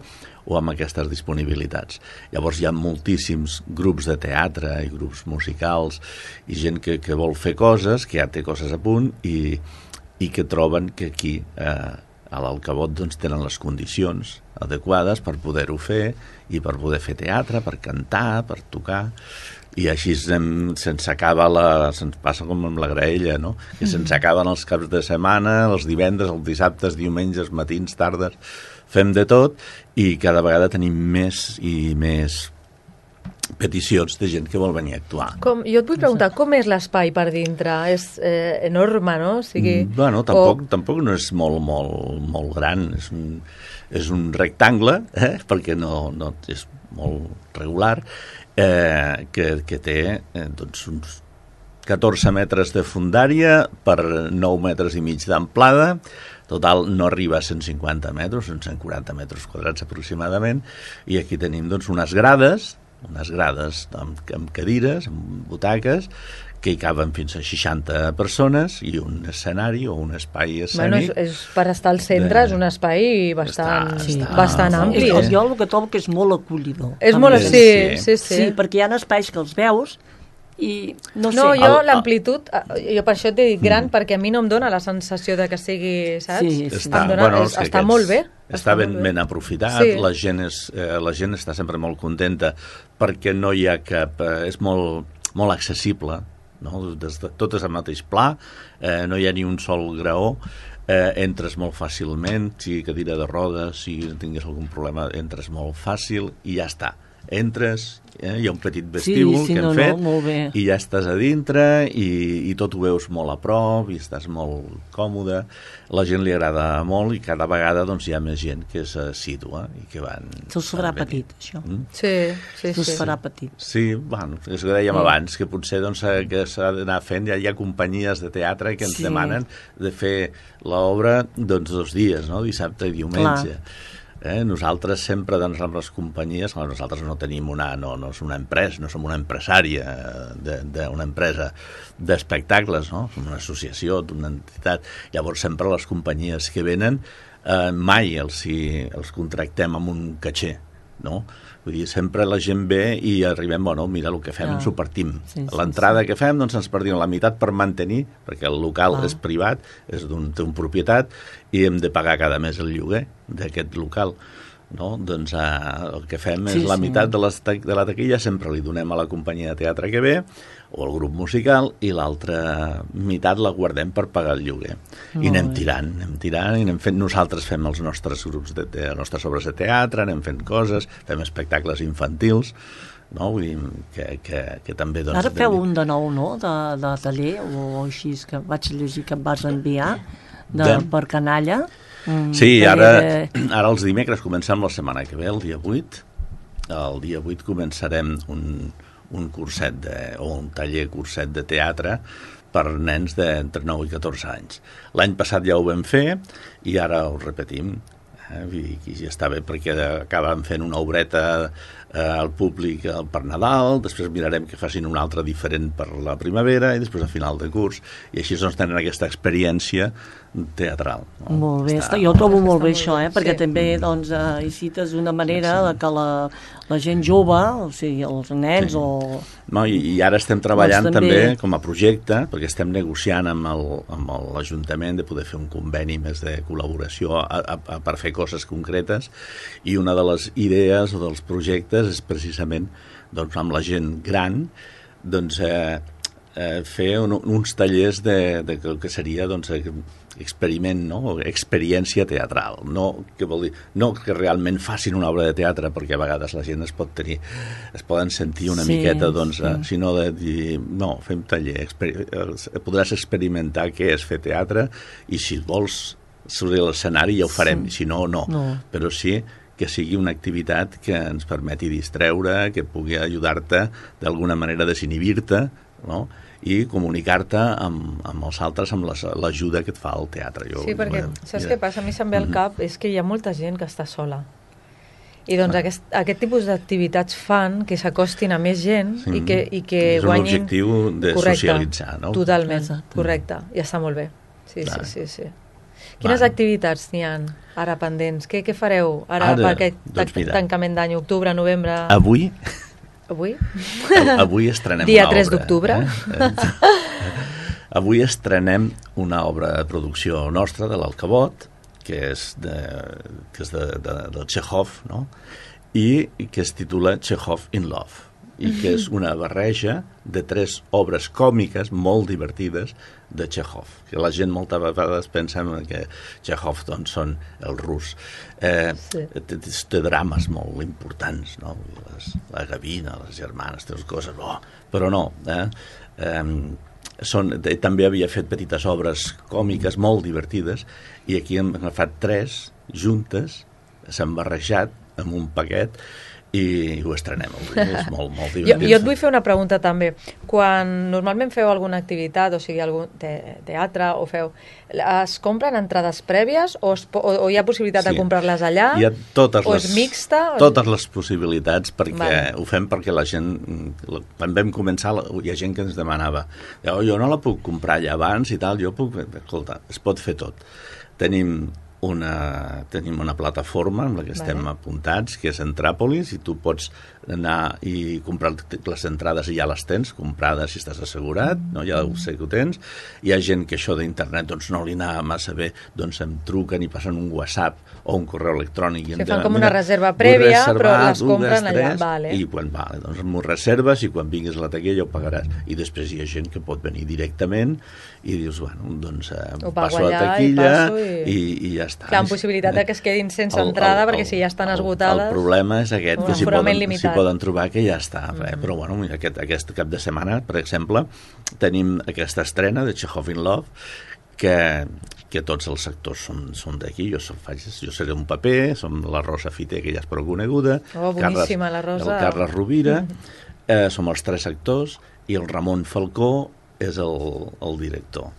o amb aquestes disponibilitats. Llavors hi ha moltíssims grups de teatre i grups musicals i gent que, que vol fer coses, que ja té coses a punt i, i que troben que aquí eh, a l'Alcavot doncs, tenen les condicions adequades per poder-ho fer i per poder fer teatre, per cantar, per tocar. I així se'ns se acaba la... se'ns passa com amb la graella, no? Que se'ns acaben els caps de setmana, els divendres, els dissabtes, diumenges, matins, tardes... Fem de tot i cada vegada tenim més i més peticions de gent que vol venir a actuar. Com, jo et vull preguntar, com és l'espai per dintre? És eh, enorme, no? O sigui, bueno, tampoc, o... tampoc no és molt, molt, molt gran. És un, és un rectangle, eh? Perquè no, no és molt regular, eh, que, que té eh, doncs uns catorze metres de fundària per nou metres i mig d'amplada. Total, no arriba a cent cinquanta metres, són cent quaranta metres quadrats aproximadament, i aquí tenim doncs, unes grades unes grades amb, amb cadires, amb butaques, que hi caben fins a seixanta persones i un escenari o un espai escènic. Bueno, és, és per estar al centre, de... és un espai bastant, està, sí. bastant ampli. És, jo el que trobo que és molt acollidor. És també. molt, sí, sí, sí, sí. Sí, perquè hi ha espais que els veus i no sé. No, jo el, l'amplitud, jo per això t'he dit gran, mm. perquè a mi no em dona la sensació de que sigui, saps? Sí, sí. Està, dona, bueno, és, està molt bé. Està, està ben, molt bé. ben aprofitat, sí. la, gent és, eh, la gent està sempre molt contenta perquè no hi ha cap... Eh, és molt, molt accessible, no? Des de, tot és al mateix pla, eh, no hi ha ni un sol graó, eh, entres molt fàcilment, si cadira de rodes, si tingués algun problema, entres molt fàcil i ja està. Entres, eh, hi ha un petit vestíbul sí, sí, que hem no, fet no, i ja estàs a dintre i, i tot ho veus molt a prop i estàs molt còmode, la gent li agrada molt i cada vegada doncs, hi ha més gent que s'assitua i que van... Se'ls farà petit, això. Mm? Sí, sí, sí. Se'ls farà petit. Sí, bueno, és que dèiem sí. abans, que potser doncs, que s'ha d'anar fent, ja hi ha companyies de teatre que ens sí. demanen de fer l'obra doncs, dos dies, no? Dissabte i diumenge. Clar. Eh, nosaltres sempre doncs, amb les companyies, nosaltres no tenim una, no, no és una empresa, no som una empresària d'una empresa d'espectacles, no? Som una associació d'una entitat, llavors sempre les companyies que venen eh, mai els, si, els contractem amb un caché, no? Vull dir, sempre la gent ve i arribem, bueno, mira, el que fem, ens ho partim. Sí, sí, l'entrada sí. que fem, doncs ens partim la meitat per mantenir, perquè el local ah. és privat, és d'un, té un propietat, i hem de pagar cada mes el lloguer d'aquest local. No? Doncs eh, el que fem sí, és la sí. meitat de, les, de la taquilla, sempre li donem a la companyia de teatre que ve, o al grup musical, i l'altra meitat la guardem per pagar el lloguer. Molt I anem bé. tirant, anem tirant, i anem fent, nosaltres fem els nostres grups, de, de, les nostres obres de teatre, anem fent coses, fem espectacles infantils, no? Vull dir, que, que, que també... Doncs, ara feu un de nou, no?, de, de taller, o així, que vaig llegir que em vas enviar, de, de... per canalla. Mm, sí, ara, de... ara els dimecres comencem la setmana que ve, el dia vuit. El dia vuit començarem un, un curset de, o un taller curset de teatre per nens d'entre nou i catorze anys. L'any passat ja ho vam fer i ara ho repetim. Eh? I ja està bé perquè acabem fent una obreta eh, al públic per Nadal, després mirarem que facin una altra diferent per la primavera i després a final de curs, i així doncs tenen aquesta experiència teatral. No? Molt bé, està, jo ho trobo molt bé això, eh? perquè sí. també doncs, eh, hi cites una manera sí, sí. que la, la gent jove, o sigui, els nens sí. o... No, i, i ara estem treballant doncs, també... també com a projecte, perquè estem negociant amb l'Ajuntament de poder fer un conveni més de col·laboració a, a, a, per fer coses concretes, i una de les idees o dels projectes és precisament doncs, amb la gent gran doncs, eh, eh, fer un, uns tallers de, de, de que seria doncs, experiment, no? Experiència teatral, no que, vol dir, no que realment facin una obra de teatre, perquè a vegades la gent es pot tenir, es poden sentir una sí, miqueta, doncs, sí. sinó de dir, no, fem taller, exper podràs experimentar què és fer teatre, i si vols sortir a l'escenari ja ho farem, sí. si no, no, no, però sí que sigui una activitat que ens permeti distreure, que pugui ajudar-te d'alguna manera a desinhibir-te, no?, i comunicar-te amb, amb els altres, amb l'ajuda que et fa el teatre. Jo, sí, perquè bueno, saps ja. què passa? A mi se'm ve al cap és que hi ha molta gent que està sola. I doncs ah. aquest, aquest tipus d'activitats fan que s'acostin a més gent sí. i que, i que és guanyin... És un objectiu de correcte, socialitzar, no? Totalment, Exacte. correcte. I està molt bé. Sí, Clar. sí, sí, sí. Quines Va. activitats n'hi ha ara pendents? Què, què fareu ara, ara per aquest doncs tancament d'any, octubre, novembre? Avui... Avui? Avui estrenem Dia una obra. Dia tres d'octubre. Eh? Avui estrenem una obra de producció nostra, de l'Alcabot, que és de, que és de, de, de Chekhov, no? I que es titula Chekhov in Love, i que és una barreja de tres obres còmiques molt divertides de Chekhov, que la gent moltes vegades pensa que Chekhov doncs, són el rus. Eh, sí. té, té drames molt importants, no? Les, la gavina, les germanes, té coses, oh, però no. Eh? Eh, són, també havia fet petites obres còmiques molt divertides, i aquí hem agafat tres juntes, s'han barrejat en un paquet, i ho estrenem avui, és molt, molt Jo, divertit. jo et vull fer una pregunta també. Quan normalment feu alguna activitat, o sigui, algun te teatre, o feu, es compren entrades prèvies o, es po o, o hi ha possibilitat Sí. de comprar-les allà? Hi ha totes o les, és mixta? O... Totes les possibilitats, perquè Vale. ho fem perquè la gent, quan vam començar, hi ha gent que ens demanava, oh, jo no la puc comprar allà abans i tal, jo puc, escolta, es pot fer tot. Tenim una, tenim una plataforma amb la que estem Vale. apuntats, que és Entràpolis, i tu pots anar i comprar les entrades i ja les tens, comprades si estàs assegurat, no? Ja ho sé que ho tens. Hi ha gent que això d'internet doncs, no li anava massa bé, doncs em truquen i passen un WhatsApp o un correu electrònic. I Se em fan diuen, com una "Mira, reserva vull prèvia, reservar però les un, compren dos, allà. tres", Vale. I quan vale, doncs m'ho reserves i quan vinguis a la taquilla ho pagaràs. I després hi ha gent que pot venir directament i dius, bueno, doncs eh, Ho pago passo a la allà i taquilla passo i... i- I, i ja està. Clar, amb possibilitat de que es quedin sense entrada, perquè si ja estan esgotades... El, el problema és aquest, un que s'hi aforament poden, limitat. s'hi poden trobar que ja està. Mm -hmm. Però bueno, aquest, aquest cap de setmana, per exemple, tenim aquesta estrena de Chekhov in Love, que, que tots els actors són, són d'aquí. Jo, faig, jo seré un paper, som la Rosa Fiter, que ja és prou coneguda, Oh, boníssima, la Rosa. el Carles Rovira, eh, som els tres actors, i el Ramon Falcó és el, el director.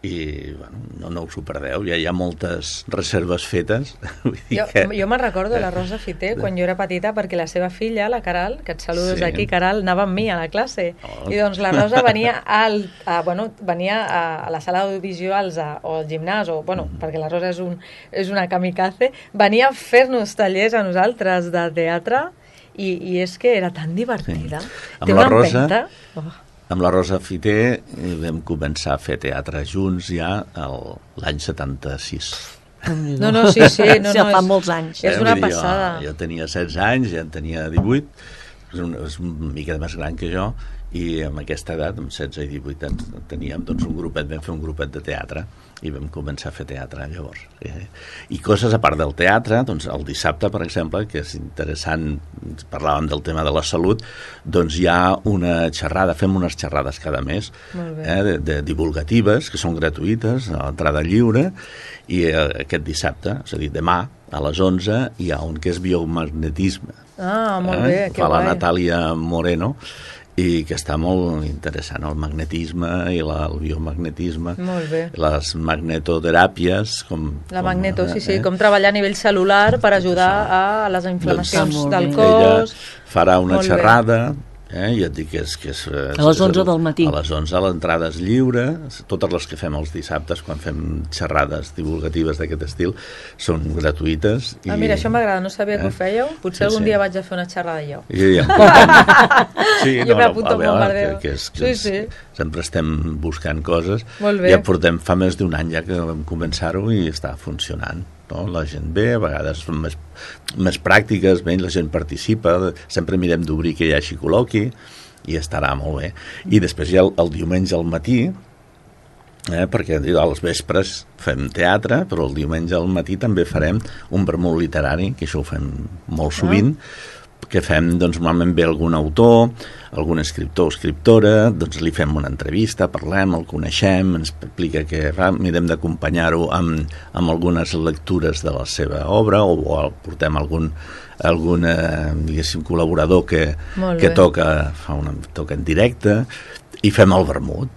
I bueno, no, no us ho perdeu, ja hi ha moltes reserves fetes. Vull dir Jo, que... jo me'n recordo la Rosa Fiter quan jo era petita, perquè la seva filla, la Caral, que et saludo des Sí. d'aquí, Caral, anava amb mi a la classe. Oh. I doncs la Rosa venia, al, a, bueno, venia a, a la sala d'audiovisuals a- o al gimnàs, o, bueno, Mm. perquè la Rosa és, un, és una kamikaze, venia a fer-nos tallers a nosaltres de teatre i, i és que era tan divertida. Sí. Té Amb la una Rosa- empenta. Oh. Amb la Rosa Fiter eh, vam començar a fer teatre junts ja el- l'any setanta-sis. No, no, sí, sí. No, Ja no, fa és, molts anys. És Eh, una vull dir, passada. Jo, jo tenia setze anys, ja en tenia divuit, és una, és una mica més gran que jo, i amb aquesta edat, amb setze i divuit anys, teníem doncs, un grupet, vam fer un grupet de teatre, i vam començar a fer teatre llavors. Eh, I coses a part del teatre, doncs el dissabte, per exemple, que és interessant, parlàvem del tema de la salut, doncs hi ha una xerrada, fem unes xerrades cada mes, Molt bé. eh, de, de divulgatives, que són gratuïtes, a l'entrada lliure, i eh, aquest dissabte, és a dir, demà, a les onze, hi ha un que és biomagnetisme. Ah, molt bé, que Fa la guai. Natàlia Moreno, i que està molt interessant, el magnetisme i la, el biomagnetisme, Molt bé. les magnetoteràpies, com... La com, magneto, sí, sí, eh? com treballar a nivell celular per ajudar a les inflamacions Doncs, del molt bé. cos. Ella farà una Molt bé. xerrada, eh? I et dic que és... Que és A les onze del matí. A les onze l'entrada és lliure, totes les que fem els dissabtes, quan fem xerrades divulgatives d'aquest estil, són gratuïtes. Ah, mira, això m'agrada, no sabia que ho fèieu. Potser Sí, algun sí. dia vaig a fer una xerrada jo. I ja em portem. Sí, Jo m'apunto a al veure, bombardeo. que, que és, que Sí, és, sí. sempre estem buscant coses. Molt bé. Ja portem fa més d'un any ja que vam començar-ho i està funcionant. No? La gent ve, a vegades són més, més pràctiques, bé, la gent participa, sempre mirem d'obrir que hi hagi col·loqui, i estarà molt bé. I després ja el, el diumenge al matí, eh, perquè als vespres fem teatre, però el diumenge al matí també farem un vermut literari, que això ho fem molt sovint, que fem, doncs, normalment ve algun autor, algun escriptor o escriptora, doncs li fem una entrevista, parlem, el coneixem, ens explica que va, mirem d'acompanyar-ho amb, amb algunes lectures de la seva obra, o, o portem algun, algun eh, diguéssim, col·laborador que, Molt que bé. toca, fa una, toca en directe, i fem el vermut.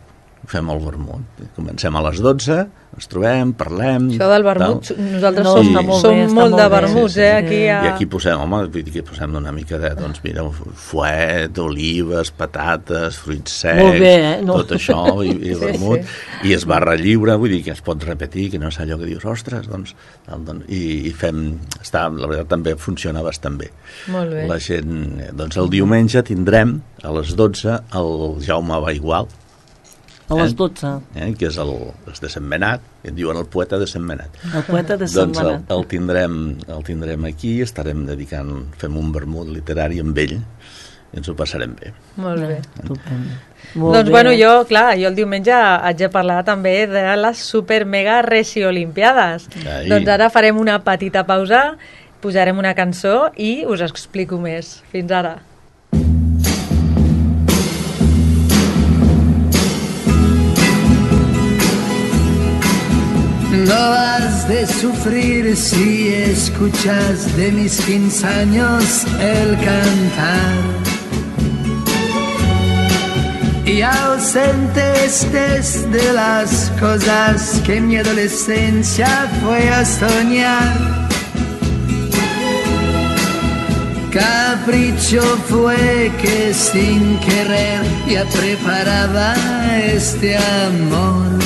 Fem el vermut. Comencem a les dotze, ens trobem, parlem... Això del vermut, tal. nosaltres No, som, està molt som bé, està molt molt de bé. vermuts, Sí, sí. eh, aquí a... I aquí posem, home, vull dir que posem una mica de, doncs mira, fuet, olives, patates, fruits secs, Molt bé, eh? No. tot això, i, i Sí, vermut, sí. i es barra lliure, vull dir que es pot repetir, que no és allò que dius, ostres, doncs, doncs i, i fem, està, la veritat també funciona bastant bé. Molt bé. La gent, eh, doncs el diumenge tindrem a les dotze el Jaume Baigual, A les dotze. eh, que és el, és de Sentmenat, que en diuen el poeta de Sentmenat. El poeta de Sant Doncs el, Manat. el, tindrem, el tindrem aquí, estarem dedicant, fem un vermut literari amb ell, i ens ho passarem bé. Molt bé. Estupendo. Molt Doncs bé. bueno, jo, clar, jo el diumenge haig de parlar també de les super mega resi-olimpiades. Ai. Doncs ara farem una petita pausa, posarem una cançó i us explico més. Fins ara. No vas de de sufrir si escuchas de mis quince años el cantar. Y ausente estés de las cosas que mi adolescencia fue a soñar. Capricho fue que sin querer ya preparaba este amor.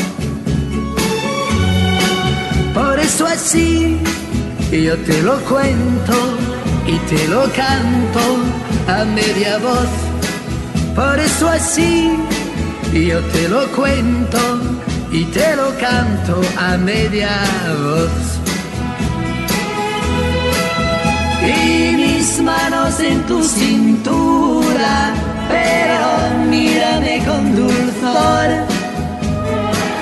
Por eso así yo te lo cuento y te lo canto a media voz. Por eso así yo te lo cuento y te lo canto a media voz. Y mis manos en tu cintura, pero mírame con dulzor,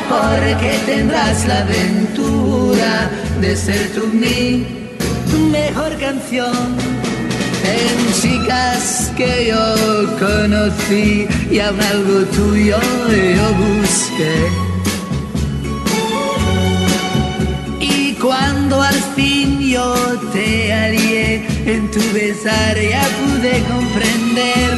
porque tendrás la aventura de ser tú mi mejor canción. En chicas que yo conocí y aún algo tuyo yo busqué. Y cuando al fin yo te hallé en tu besar ya pude comprender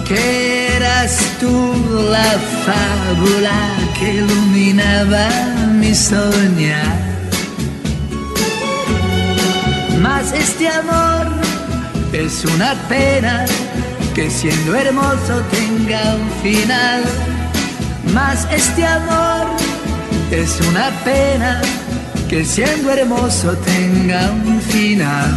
que eras tú la fábula que iluminaba mi soñar. Mas este amor es una pena que siendo hermoso tenga un final. Mas este amor es una pena que siendo hermoso tenga un final.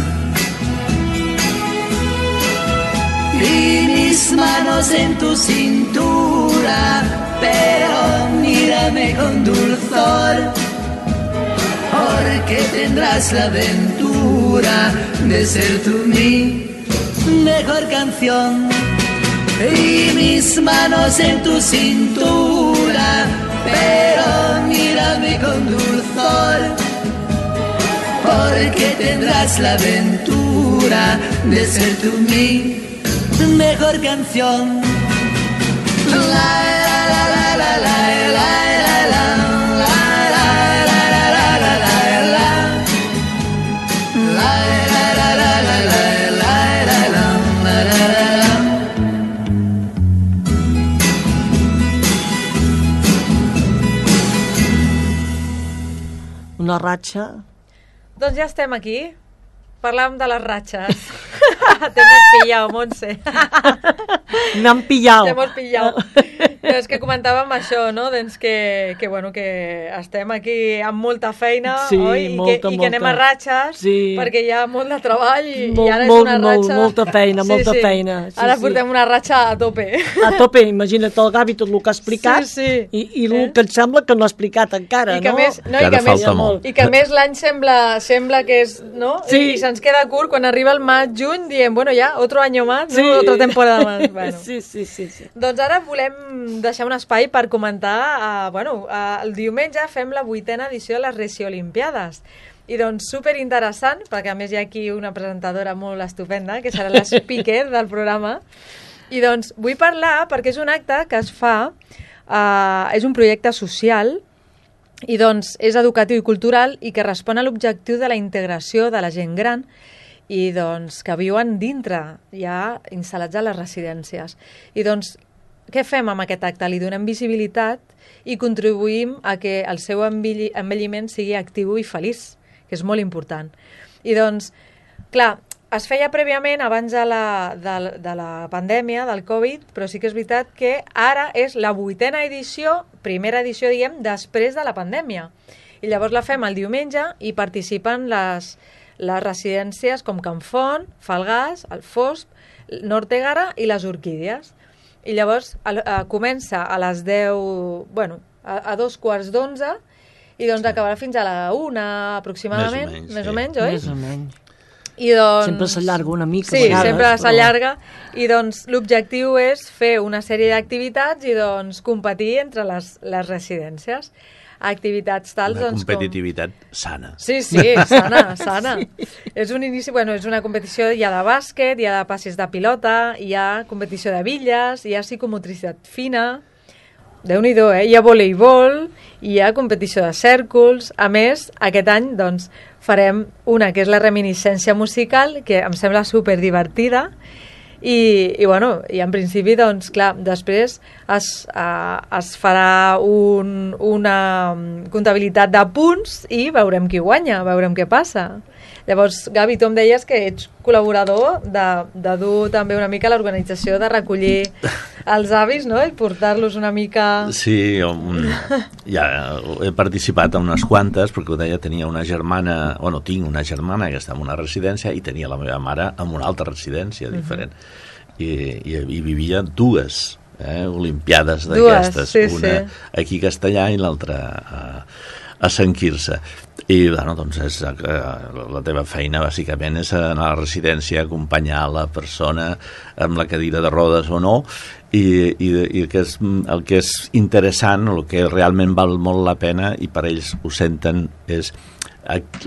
Y mis manos en tu cintura, pero mírame con dulzor, porque tendrás la aventura de ser tú mi mejor canción. Y mis manos en tu cintura, pero mírame con dulzor, porque tendrás la aventura de ser tú mi mejor canción. La la la la la la la la. Una ratxa. Doncs ja estem aquí. Parlàvem de les ratxes. Te hemos pillado, Montse. M'han pillado. Te hemos pillado. No, és que comentàvem això, no? Doncs que, que, bueno, que estem aquí amb molta feina, sí, oi? I, molta, que, I molta. que anem a ratxes, sí. perquè hi ha molt de treball i, molt, i ara és molt, una ratxa... Molt, molta feina, sí, molta sí. feina. Sí, ara sí. portem una ratxa a tope. A tope, imagina't el Gavi tot el que ha explicat, sí, sí. i, i el eh? que et sembla que no ha explicat encara, I que no? Més, no, encara i que falta més, molt. I que a més l'any sembla, sembla que és... No? Sí. I se'ns queda curt quan arriba el maig, juny, diem, bueno, ja, otro año más, sí. ¿no? Otra temporada más. Bueno. Sí, sí, sí, sí. Doncs ara volem deixar un espai per comentar, uh, bueno, uh, el diumenge fem la vuitena edició de les Reci Olimpiades. I doncs superinteressant, perquè a més hi ha aquí una presentadora molt estupenda, que serà la speaker del programa. I doncs vull parlar perquè és un acte que es fa, uh, és un projecte social, i doncs és educatiu i cultural i que respon a l'objectiu de la integració de la gent gran i doncs que viuen dintre, ja instal·lats a les residències. I doncs què fem amb aquest acte? Li donem visibilitat i contribuïm a que el seu envelliment sigui actiu i feliç, que és molt important. I doncs, clar, es feia prèviament abans de la, de, de la pandèmia, del Covid, però sí que és veritat que ara és la vuitena edició, primera edició, diguem, després de la pandèmia. I llavors la fem el diumenge i participen les, les residències com Can Font, Falgars, el Fosp, Nortegara i les Orquídies. I llavors a, a, comença a les deu, bueno, a, a dos quarts d'onze i doncs acabarà fins a la una aproximadament, més o menys, més sí. o menys oi? Més o menys. I doncs... Sempre s'allarga una mica. Sí, vegades, sempre però... s'allarga i doncs l'objectiu és fer una sèrie d'activitats i doncs competir entre les, les residències. Activitats tals, una doncs, competitivitat com... sana. Sí, sí, sana, sana. Sí. És un inici, bueno, és una competició, hi ha de bàsquet, hi ha de passes de pilota, hi ha competició de bitlles, hi ha psicomotricitat fina, Déu-n'hi-do, eh? Hi ha voleibol, hi ha competició de cèrcols. A més, aquest any doncs, farem una que és la reminiscència musical, que em sembla superdivertida, i, i, bueno, i en principi, doncs, clar, després es, uh, es farà un, una comptabilitat de punts i veurem qui guanya, veurem què passa. Llavors, Gavi, tu em deies que ets col·laborador de, de dur també una mica l'organització de recollir els avis, no?, i portar-los una mica... Sí, un, ja he participat en unes quantes, perquè ho deia, tenia una germana, bueno, tinc una germana que està en una residència i tenia la meva mare en una altra residència diferent. Uh-huh. I, i, i vivia dues eh, olimpiades d'aquestes, sí, una sí. aquí a Castellà i l'altra a, a Sant Quirze. I, bueno, doncs, és, eh, la teva feina, bàsicament, és anar a la residència, acompanyar la persona amb la cadira de rodes o no, i, i, i el, que és, el que és interessant, el que realment val molt la pena, i per ells ho senten, és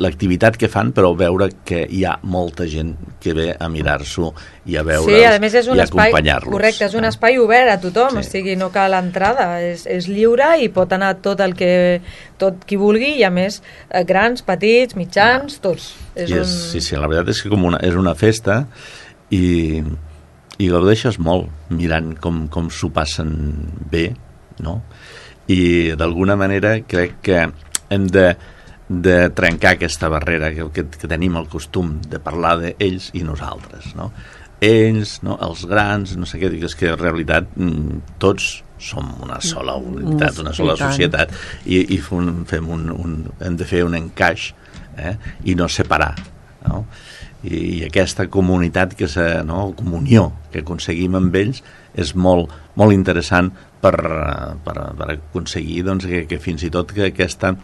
l'activitat que fan, però veure que hi ha molta gent que ve a mirar-s'ho i a veure'ls, sí, a més és un i espai, acompanyar-los. correcte, és un espai obert a tothom, Sí. o sigui, no cal entrada, és, és lliure i pot anar tot el que tot qui vulgui, i a més eh, grans, petits, mitjans, tots. És I és, un... Sí, sí, la veritat és que com una, és una festa i, i gaudeixes molt mirant com, com s'ho passen bé, no? I d'alguna manera crec que hem de de trencar aquesta barrera que, que, que tenim el costum de parlar d'ells i nosaltres, no? Ells, no? Els grans, no sé què, és que en realitat tots som una sola unitat, una sola societat, i, i fem un, un, hem de fer un encaix, eh? I no separar, no? I, i aquesta comunitat, que se, no? comunió que aconseguim amb ells és molt, molt interessant per, per, per aconseguir doncs, que, que fins i tot que aquesta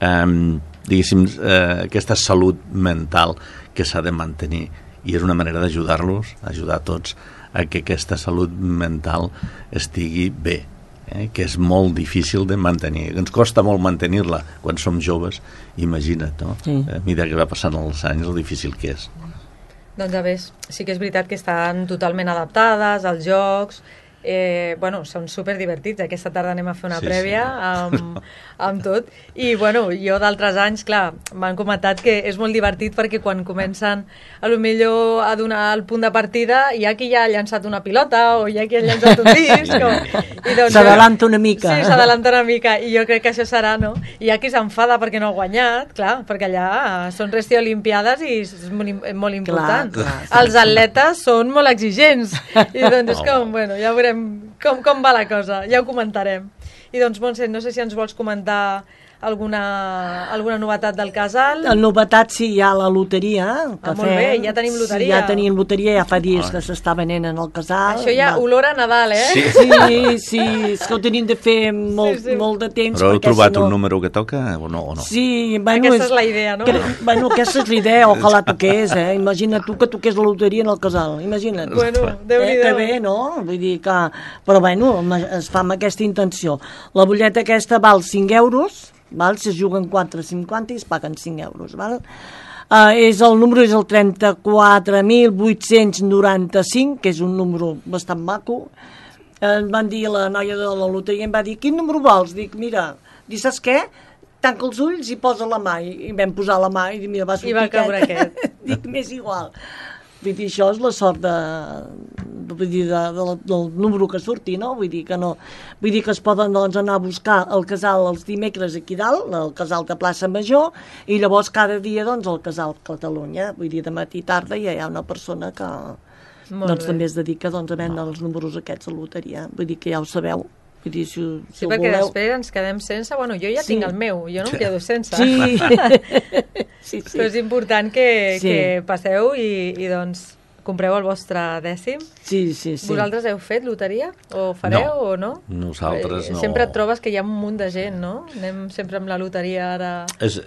Um, diguéssim, uh, aquesta salut mental que s'ha de mantenir, i és una manera d'ajudar-los, ajudar tots a que aquesta salut mental estigui bé, eh? Que és molt difícil de mantenir, ens costa molt mantenir-la quan som joves, imagina't, no? Sí. A mesura que va passant els anys, el difícil que és. Doncs a més, sí que és veritat que estan totalment adaptades als jocs. Eh, bueno, són superdivertits. Aquesta tarda anem a fer una sí, prèvia sí. amb, amb tot, i bueno, jo d'altres anys, clar, m'han comentat que és molt divertit perquè quan comencen a lo millor a donar el punt de partida hi ha qui ja ha llançat una pilota o hi ha qui ha llançat un disc o, i doncs, s'adalanta una mica. Sí, s'adalanta una mica, i jo crec que això serà, no? I hi ha qui s'enfada perquè no ha guanyat, clar, perquè allà són resti olimpiades i és molt, molt important. Clar, clar, els atletes són molt exigents i doncs és com, bueno, ja veurem Com, com va la cosa, ja ho comentarem. I doncs, Montse, no sé si ens vols comentar alguna, alguna novetat del casal. La novetat, sí, hi ha la loteria. Que ah, molt bé, ja tenim loteria. Sí, ja tenim loteria, ja fa dies que s'està venent en el casal. Això ja va. Olor a Nadal, eh? Sí, sí, sí, és que ho tenim de fer molt, sí, sí. molt de temps. Però heu trobat si no... un número que toca o no? O no? Sí, bueno, aquesta és, és la idea, no? Que, bueno, aquesta és la idea, ojalà toqués, eh? Imagina't tu que toqués la loteria en el casal, imagina't. Bueno, Déu-n'hi-do. Eh, que bé, no? Vull dir que... Però bueno, es fa amb aquesta intenció. La butlleta aquesta val cinc euros, val? Si es juguen quatre cinquanta i es paguen cinc euros, val? Uh, és el número és el trenta-quatre mil vuit-cents noranta-cinc, que és un número bastant maco. Uh, em van dir, la noia de la loteria em va dir, quin número vols? Dic, mira, dic, saps què? Tanca els ulls i posa la mà. I, i vam posar la mà i mira, va sortir I va caure aquest. aquest. Dic, m'és igual. Vull dir, això és la sort de, vull dir, de, de, del número que surti, no? Vull dir que no, vull dir que es poden doncs, anar a buscar el casal els dimecres aquí dalt, el casal de Plaça Major, i llavors cada dia doncs el casal Catalunya, vull dir, de matí i tarda hi ha una persona que doncs, també es dedica doncs, a vendre els números aquests a loteria, vull dir que ja ho sabeu. Vull dir, si, si sí, perquè voleu... després ens quedem sense, bueno, jo ja sí. tinc el meu, jo no em quedo sense. Sí. sí, sí. Però és important que, sí. que passeu i, i doncs compreu el vostre dècim. Sí, sí, sí. Vosaltres heu fet loteria? O fareu no. o no? Nosaltres no. Sempre et trobes que hi ha un munt de gent, no? Anem sempre amb la loteria ara... És,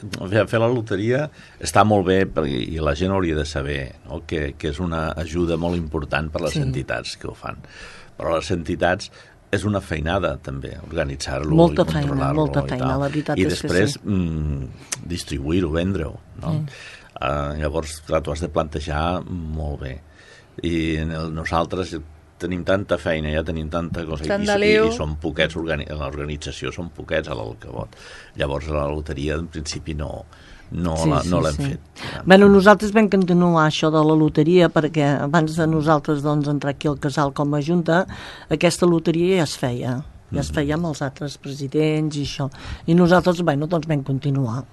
fer la loteria està molt bé perquè, i la gent hauria de saber, no? que, que és una ajuda molt important per les sí. entitats que ho fan. Però les entitats és una feinada també, organitzar-lo molta i controlar-lo. Feina, molta feina, la veritat I és després que sí. mm, distribuir-ho, vendre-ho, no? Mm. Uh, llavors, clar, t'ho has de plantejar molt bé. I en el, nosaltres tenim tanta feina, ja tenim tanta cosa, Tant i, de i, lío. i són poquets, organi l'organització són poquets a l'Alcavot. Llavors la loteria en principi no, no Sí, la- sí, no l'hem sí. fet. Bueno, nosaltres vam continuar això de la loteria perquè abans de nosaltres doncs, entrar aquí al casal com a junta, aquesta loteria ja es feia. Ja es feia amb els altres presidents i això. I nosaltres, bueno, doncs vam continuar.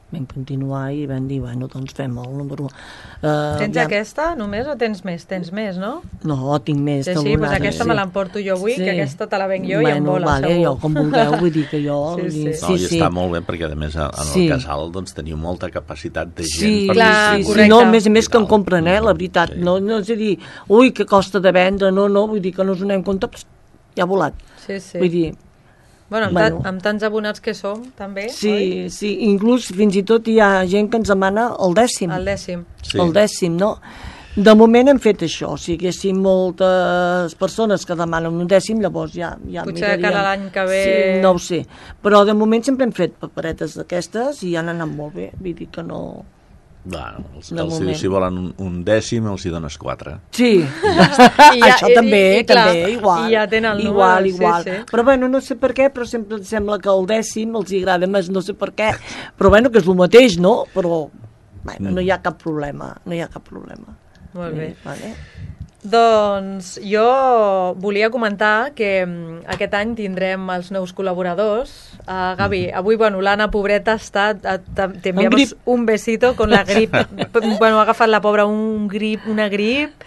Vam continuar i vam dir, bueno, doncs fem el número... Uh, Tens aquesta només o tens més? Tens més, no? No, tinc més. Sí, que sí, doncs alguna- aquesta me l'emporto jo avui, que aquesta te la venc jo i em bueno, vola, vale, segur. jo, com vulgueu, vull dir que jo... Sí, vull sí. dir, No, i està molt bé perquè a més en el Sí. casal doncs, teniu molta capacitat de gent Sí, per clar, distribuir. sí, correcte. no, a més a més que I en tal. compren, eh, la veritat. Sí. No, no és a dir, ui, que costa de vendre, no, no, vull dir que no us donem compte, pss, ja ha volat. Sí, sí. Vull dir, Bueno, amb, Bueno. bueno. amb tants abonats que som, també, oi? sí, sí, inclús fins i tot hi ha gent que ens demana el dècim. El dècim. Sí. El dècim, no? De moment hem fet això, si haguéssim moltes persones que demanen un dècim, llavors ja, ja Potser miraríem. de cara a l'any que ve- Sí, no ho sé, però de moment sempre hem fet paperetes d'aquestes i han anat molt bé, vull dir que no... Bueno, els, De els, moment. si volen un, un dècim, els hi dones quatre. Sí, I ja- això i- també, i- i clar, també, igual. i ja tenen el igual, número, sí, igual. sí. Però bueno, no sé per què, però sempre em sembla que el dècim els hi agrada més, no sé per què. Però bueno, que és el mateix, no? Però bueno, no hi ha cap problema, no hi ha cap problema. Molt bé. Eh, vale. Doncs jo volia comentar que mm, aquest any tindrem els nous col·laboradors. Uh, Gavi, avui, bueno, l'Anna, pobreta, està... T'enviamos grip. un besito con la grip. Bueno, ha agafat la pobra un grip, una grip,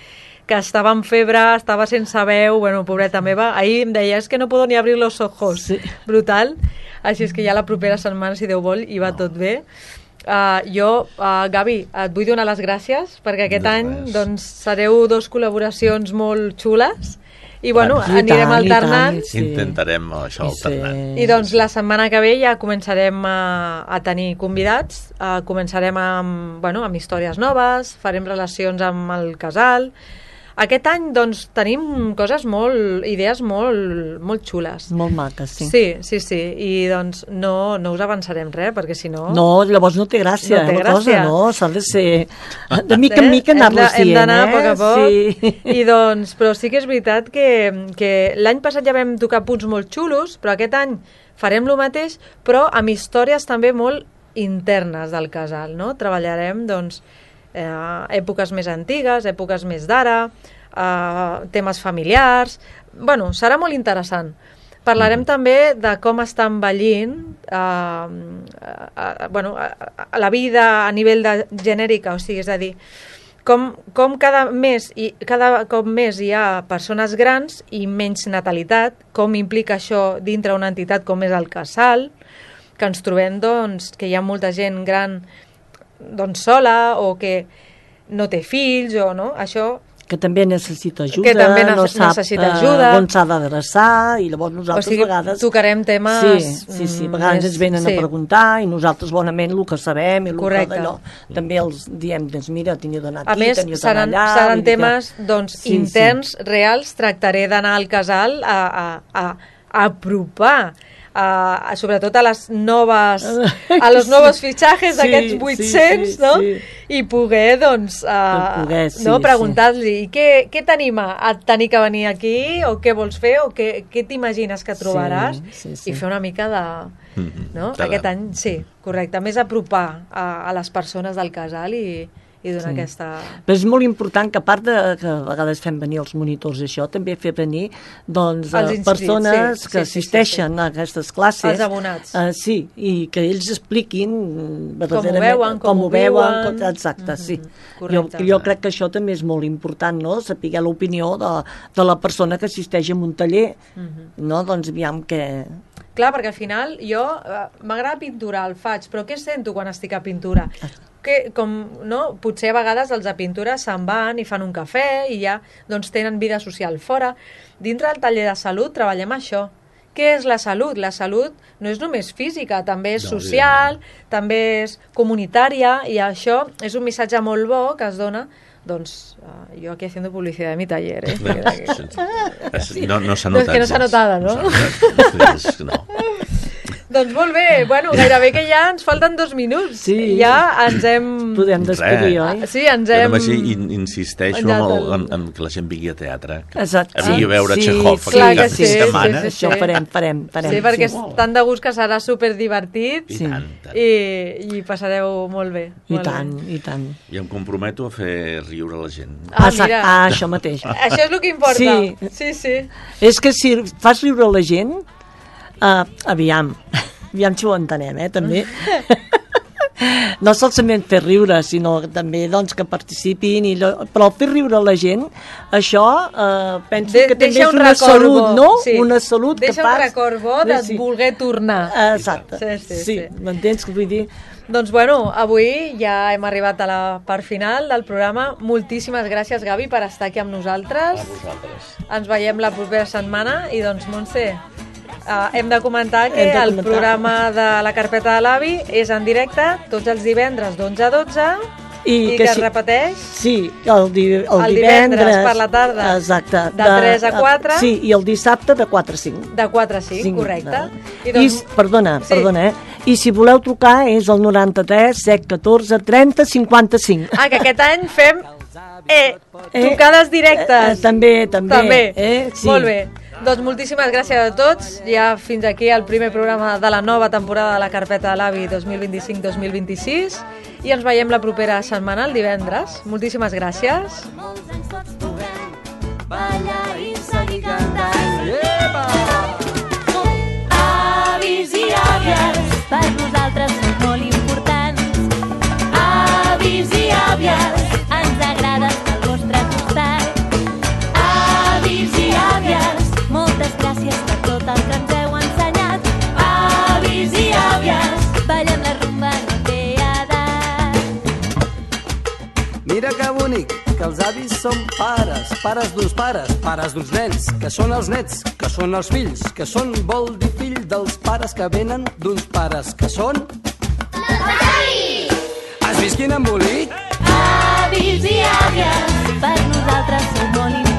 que estava en febre, estava sense veu, bueno, pobreta meva. Ahir em deia, és que no puedo ni abrir los ojos. Sí. Brutal. Així és que ja la propera setmana, si Déu vol, hi va tot bé. Uh, jo, uh, Gavi, et vull donar les gràcies perquè aquest De any res. doncs, sereu dos col·laboracions molt xules i bueno, I anirem tant, i alternant tant, i, Sí. Intentarem això I alternant. sí. doncs la setmana que ve ja començarem a, a tenir convidats, uh, començarem amb, bueno, amb històries noves, farem relacions amb el casal. Aquest any doncs tenim coses molt, idees molt, molt xules. Molt maques, sí. Sí, sí, sí, i doncs no, no us avançarem res, perquè si no... No, llavors no té gràcia, No té la gràcia. cosa, no? S'ha de ser... De mica en mica Hem de- anar-los dient, Hem d'anar eh? a poc a poc. Sí. I doncs, però sí que és veritat que, que l'any passat ja vam tocar punts molt xulos, però aquest any farem lo mateix, però amb històries també molt internes del casal, no? Treballarem, doncs, eh, èpoques més antigues, èpoques més d'ara, eh, temes familiars... Bueno, serà molt interessant. Parlarem també de com està envellint eh, eh, bueno, eh, la vida a nivell de genèrica, o sigui, és a dir, com, com cada mes i cada cop més hi ha persones grans i menys natalitat, com implica això dintre una entitat com és el casal, que ens trobem doncs, que hi ha molta gent gran doncs, sola o que no té fills o no, això Que també necessita ajuda, Que també ne- no sap necessita eh, ajuda. on s'ha d'adreçar, i llavors o nosaltres sigui, a vegades... tocarem temes Sí, sí, sí, a vegades més- ens venen sí. a preguntar i nosaltres bonament el que sabem i el Correcte. que d'allò, també els diem, doncs mira, teniu d'anar A aquí, més, teniu d'anar seran, allà... seran vull dir que- temes doncs, Sí, interns, reals. Tractaré d'anar al casal a, a, a, a apropar a, a, sobretot a les noves a los nous fitxajes Sí, d'aquests sí, vuit-cents, sí, no? sí. I poder, doncs, uh, poder, sí, no? sí. preguntar-li què, què t'anima a tenir que venir aquí, o què vols fer, o què, què t'imagines que trobaràs, Sí, sí, sí. i fer una mica de... Mhm. No? Caram. Aquest any, sí, correcte. Més apropar a, a les persones del casal i, i donar Sí. aquesta... Però és molt important que, a part de que a vegades fem venir els monitors i això, també fer venir doncs, Els eh, inscrits, persones sí, que sí, sí, assisteixen sí, sí. a aquestes classes. Els abonats. Eh, sí, i que ells expliquin mm, verdaderament veuen, com com ho ho veuen, viuen. com, exacte, sí. correcte. Jo, jo crec que això també és molt important, no?, saber l'opinió de, de la persona que assisteix a un taller, no?, doncs aviam que... Clar, perquè al final jo eh, m'agrada pinturar, el faig, però què sento quan estic a pintura? Que, com, no? Potser a vegades els de pintura se'n van i fan un cafè i ja doncs, tenen vida social fora. Dintre del taller de salut treballem això. Què és la salut? La salut no és només física, també és No, social, també és comunitària, i això és un missatge molt bo que es dona. Doncs uh, jo aquí haciendo publicidad de mi taller, eh? Es- No, no s'ha No, és notat. que no s'ha gens. notada, no? s'ha notat. És- no. Doncs molt bé, bueno, gairebé que ja ens falten dos minuts. Sí. Ja ens hem... Podem despedir, Res. oi? Sí, ens Jo hem... només in, insisteixo Menjat en, el, el- en, en que la gent vingui a teatre. Que Exacte. a vingui a veure Sí, Chekhov sí, aquí clar cap que sí, setmana. sí, sí, sí. Això farem, farem, farem. Sí, perquè és tan de gust que serà superdivertit I Sí. tant, tant. i, i passareu molt bé. I molt tant, bé. i tant. I em comprometo a fer riure la gent. Ah, Exacte. mira. Ah, això mateix. Això és el que importa. Sí. Sí, sí. És que si fas riure la gent, uh, aviam, aviam si ho entenem, eh, també. No solament fer riure, sinó també doncs, que participin, i lo... però fer riure la gent, això eh, penso De, que també deixa és un una record salut, bo. no? Sí. Una salut deixa que fas... un record bo de Sí. voler tornar. Exacte, Sí, sí, sí, sí. m'entens? Vull dir, Doncs bueno, avui ja hem arribat a la part final del programa. Moltíssimes gràcies, Gavi, per estar aquí amb nosaltres. A vosaltres. Ens veiem la propera setmana i doncs, Montse, uh, hem de comentar que Hem de el comentar. programa de la carpeta de l'avi és en directe tots els divendres d'onze a dotze I i, que que, si- es repeteix sí, el, di el, El divendres divendres per la tarda, exacte, de tres a quatre. Sí, i el dissabte de quatre a cinc. de quatre a cinc, Cinc, correcte. no? I I, doncs, perdona, Sí. perdona, eh? I si voleu trucar és el noranta-tres, set, catorze, trenta, cinquanta-cinc. ah, que aquest any fem eh, Eh, trucades directes. Eh, eh, també, també. També. Eh? Sí. Molt bé. Doncs moltíssimes gràcies a tots. Ja fins aquí el primer programa de la nova temporada de la Carpeta de l'Avi dos mil vint-i-cinc dos mil vint-i-sis i ens veiem la propera setmana, el divendres. Moltíssimes gràcies. Molts anys tots puguem ballar i seguir cantant. Epa! Avis i àvies, per nosaltres són molt importants. Avis i àvies, ens agrada estar al vostre costat. Avis i àvies, moltes gràcies per tot el que ens heu ensenyat. Avis i àvies, ballem la rumba, no té edat. Mira que bonic, que els avis són pares, pares d'uns pares, pares d'uns nens, que són els nets, que són els fills, que són, vol dir, fill dels pares que venen d'uns pares, que són... Has vist quin embolic? Avis i àvies, per nosaltres són molt importants.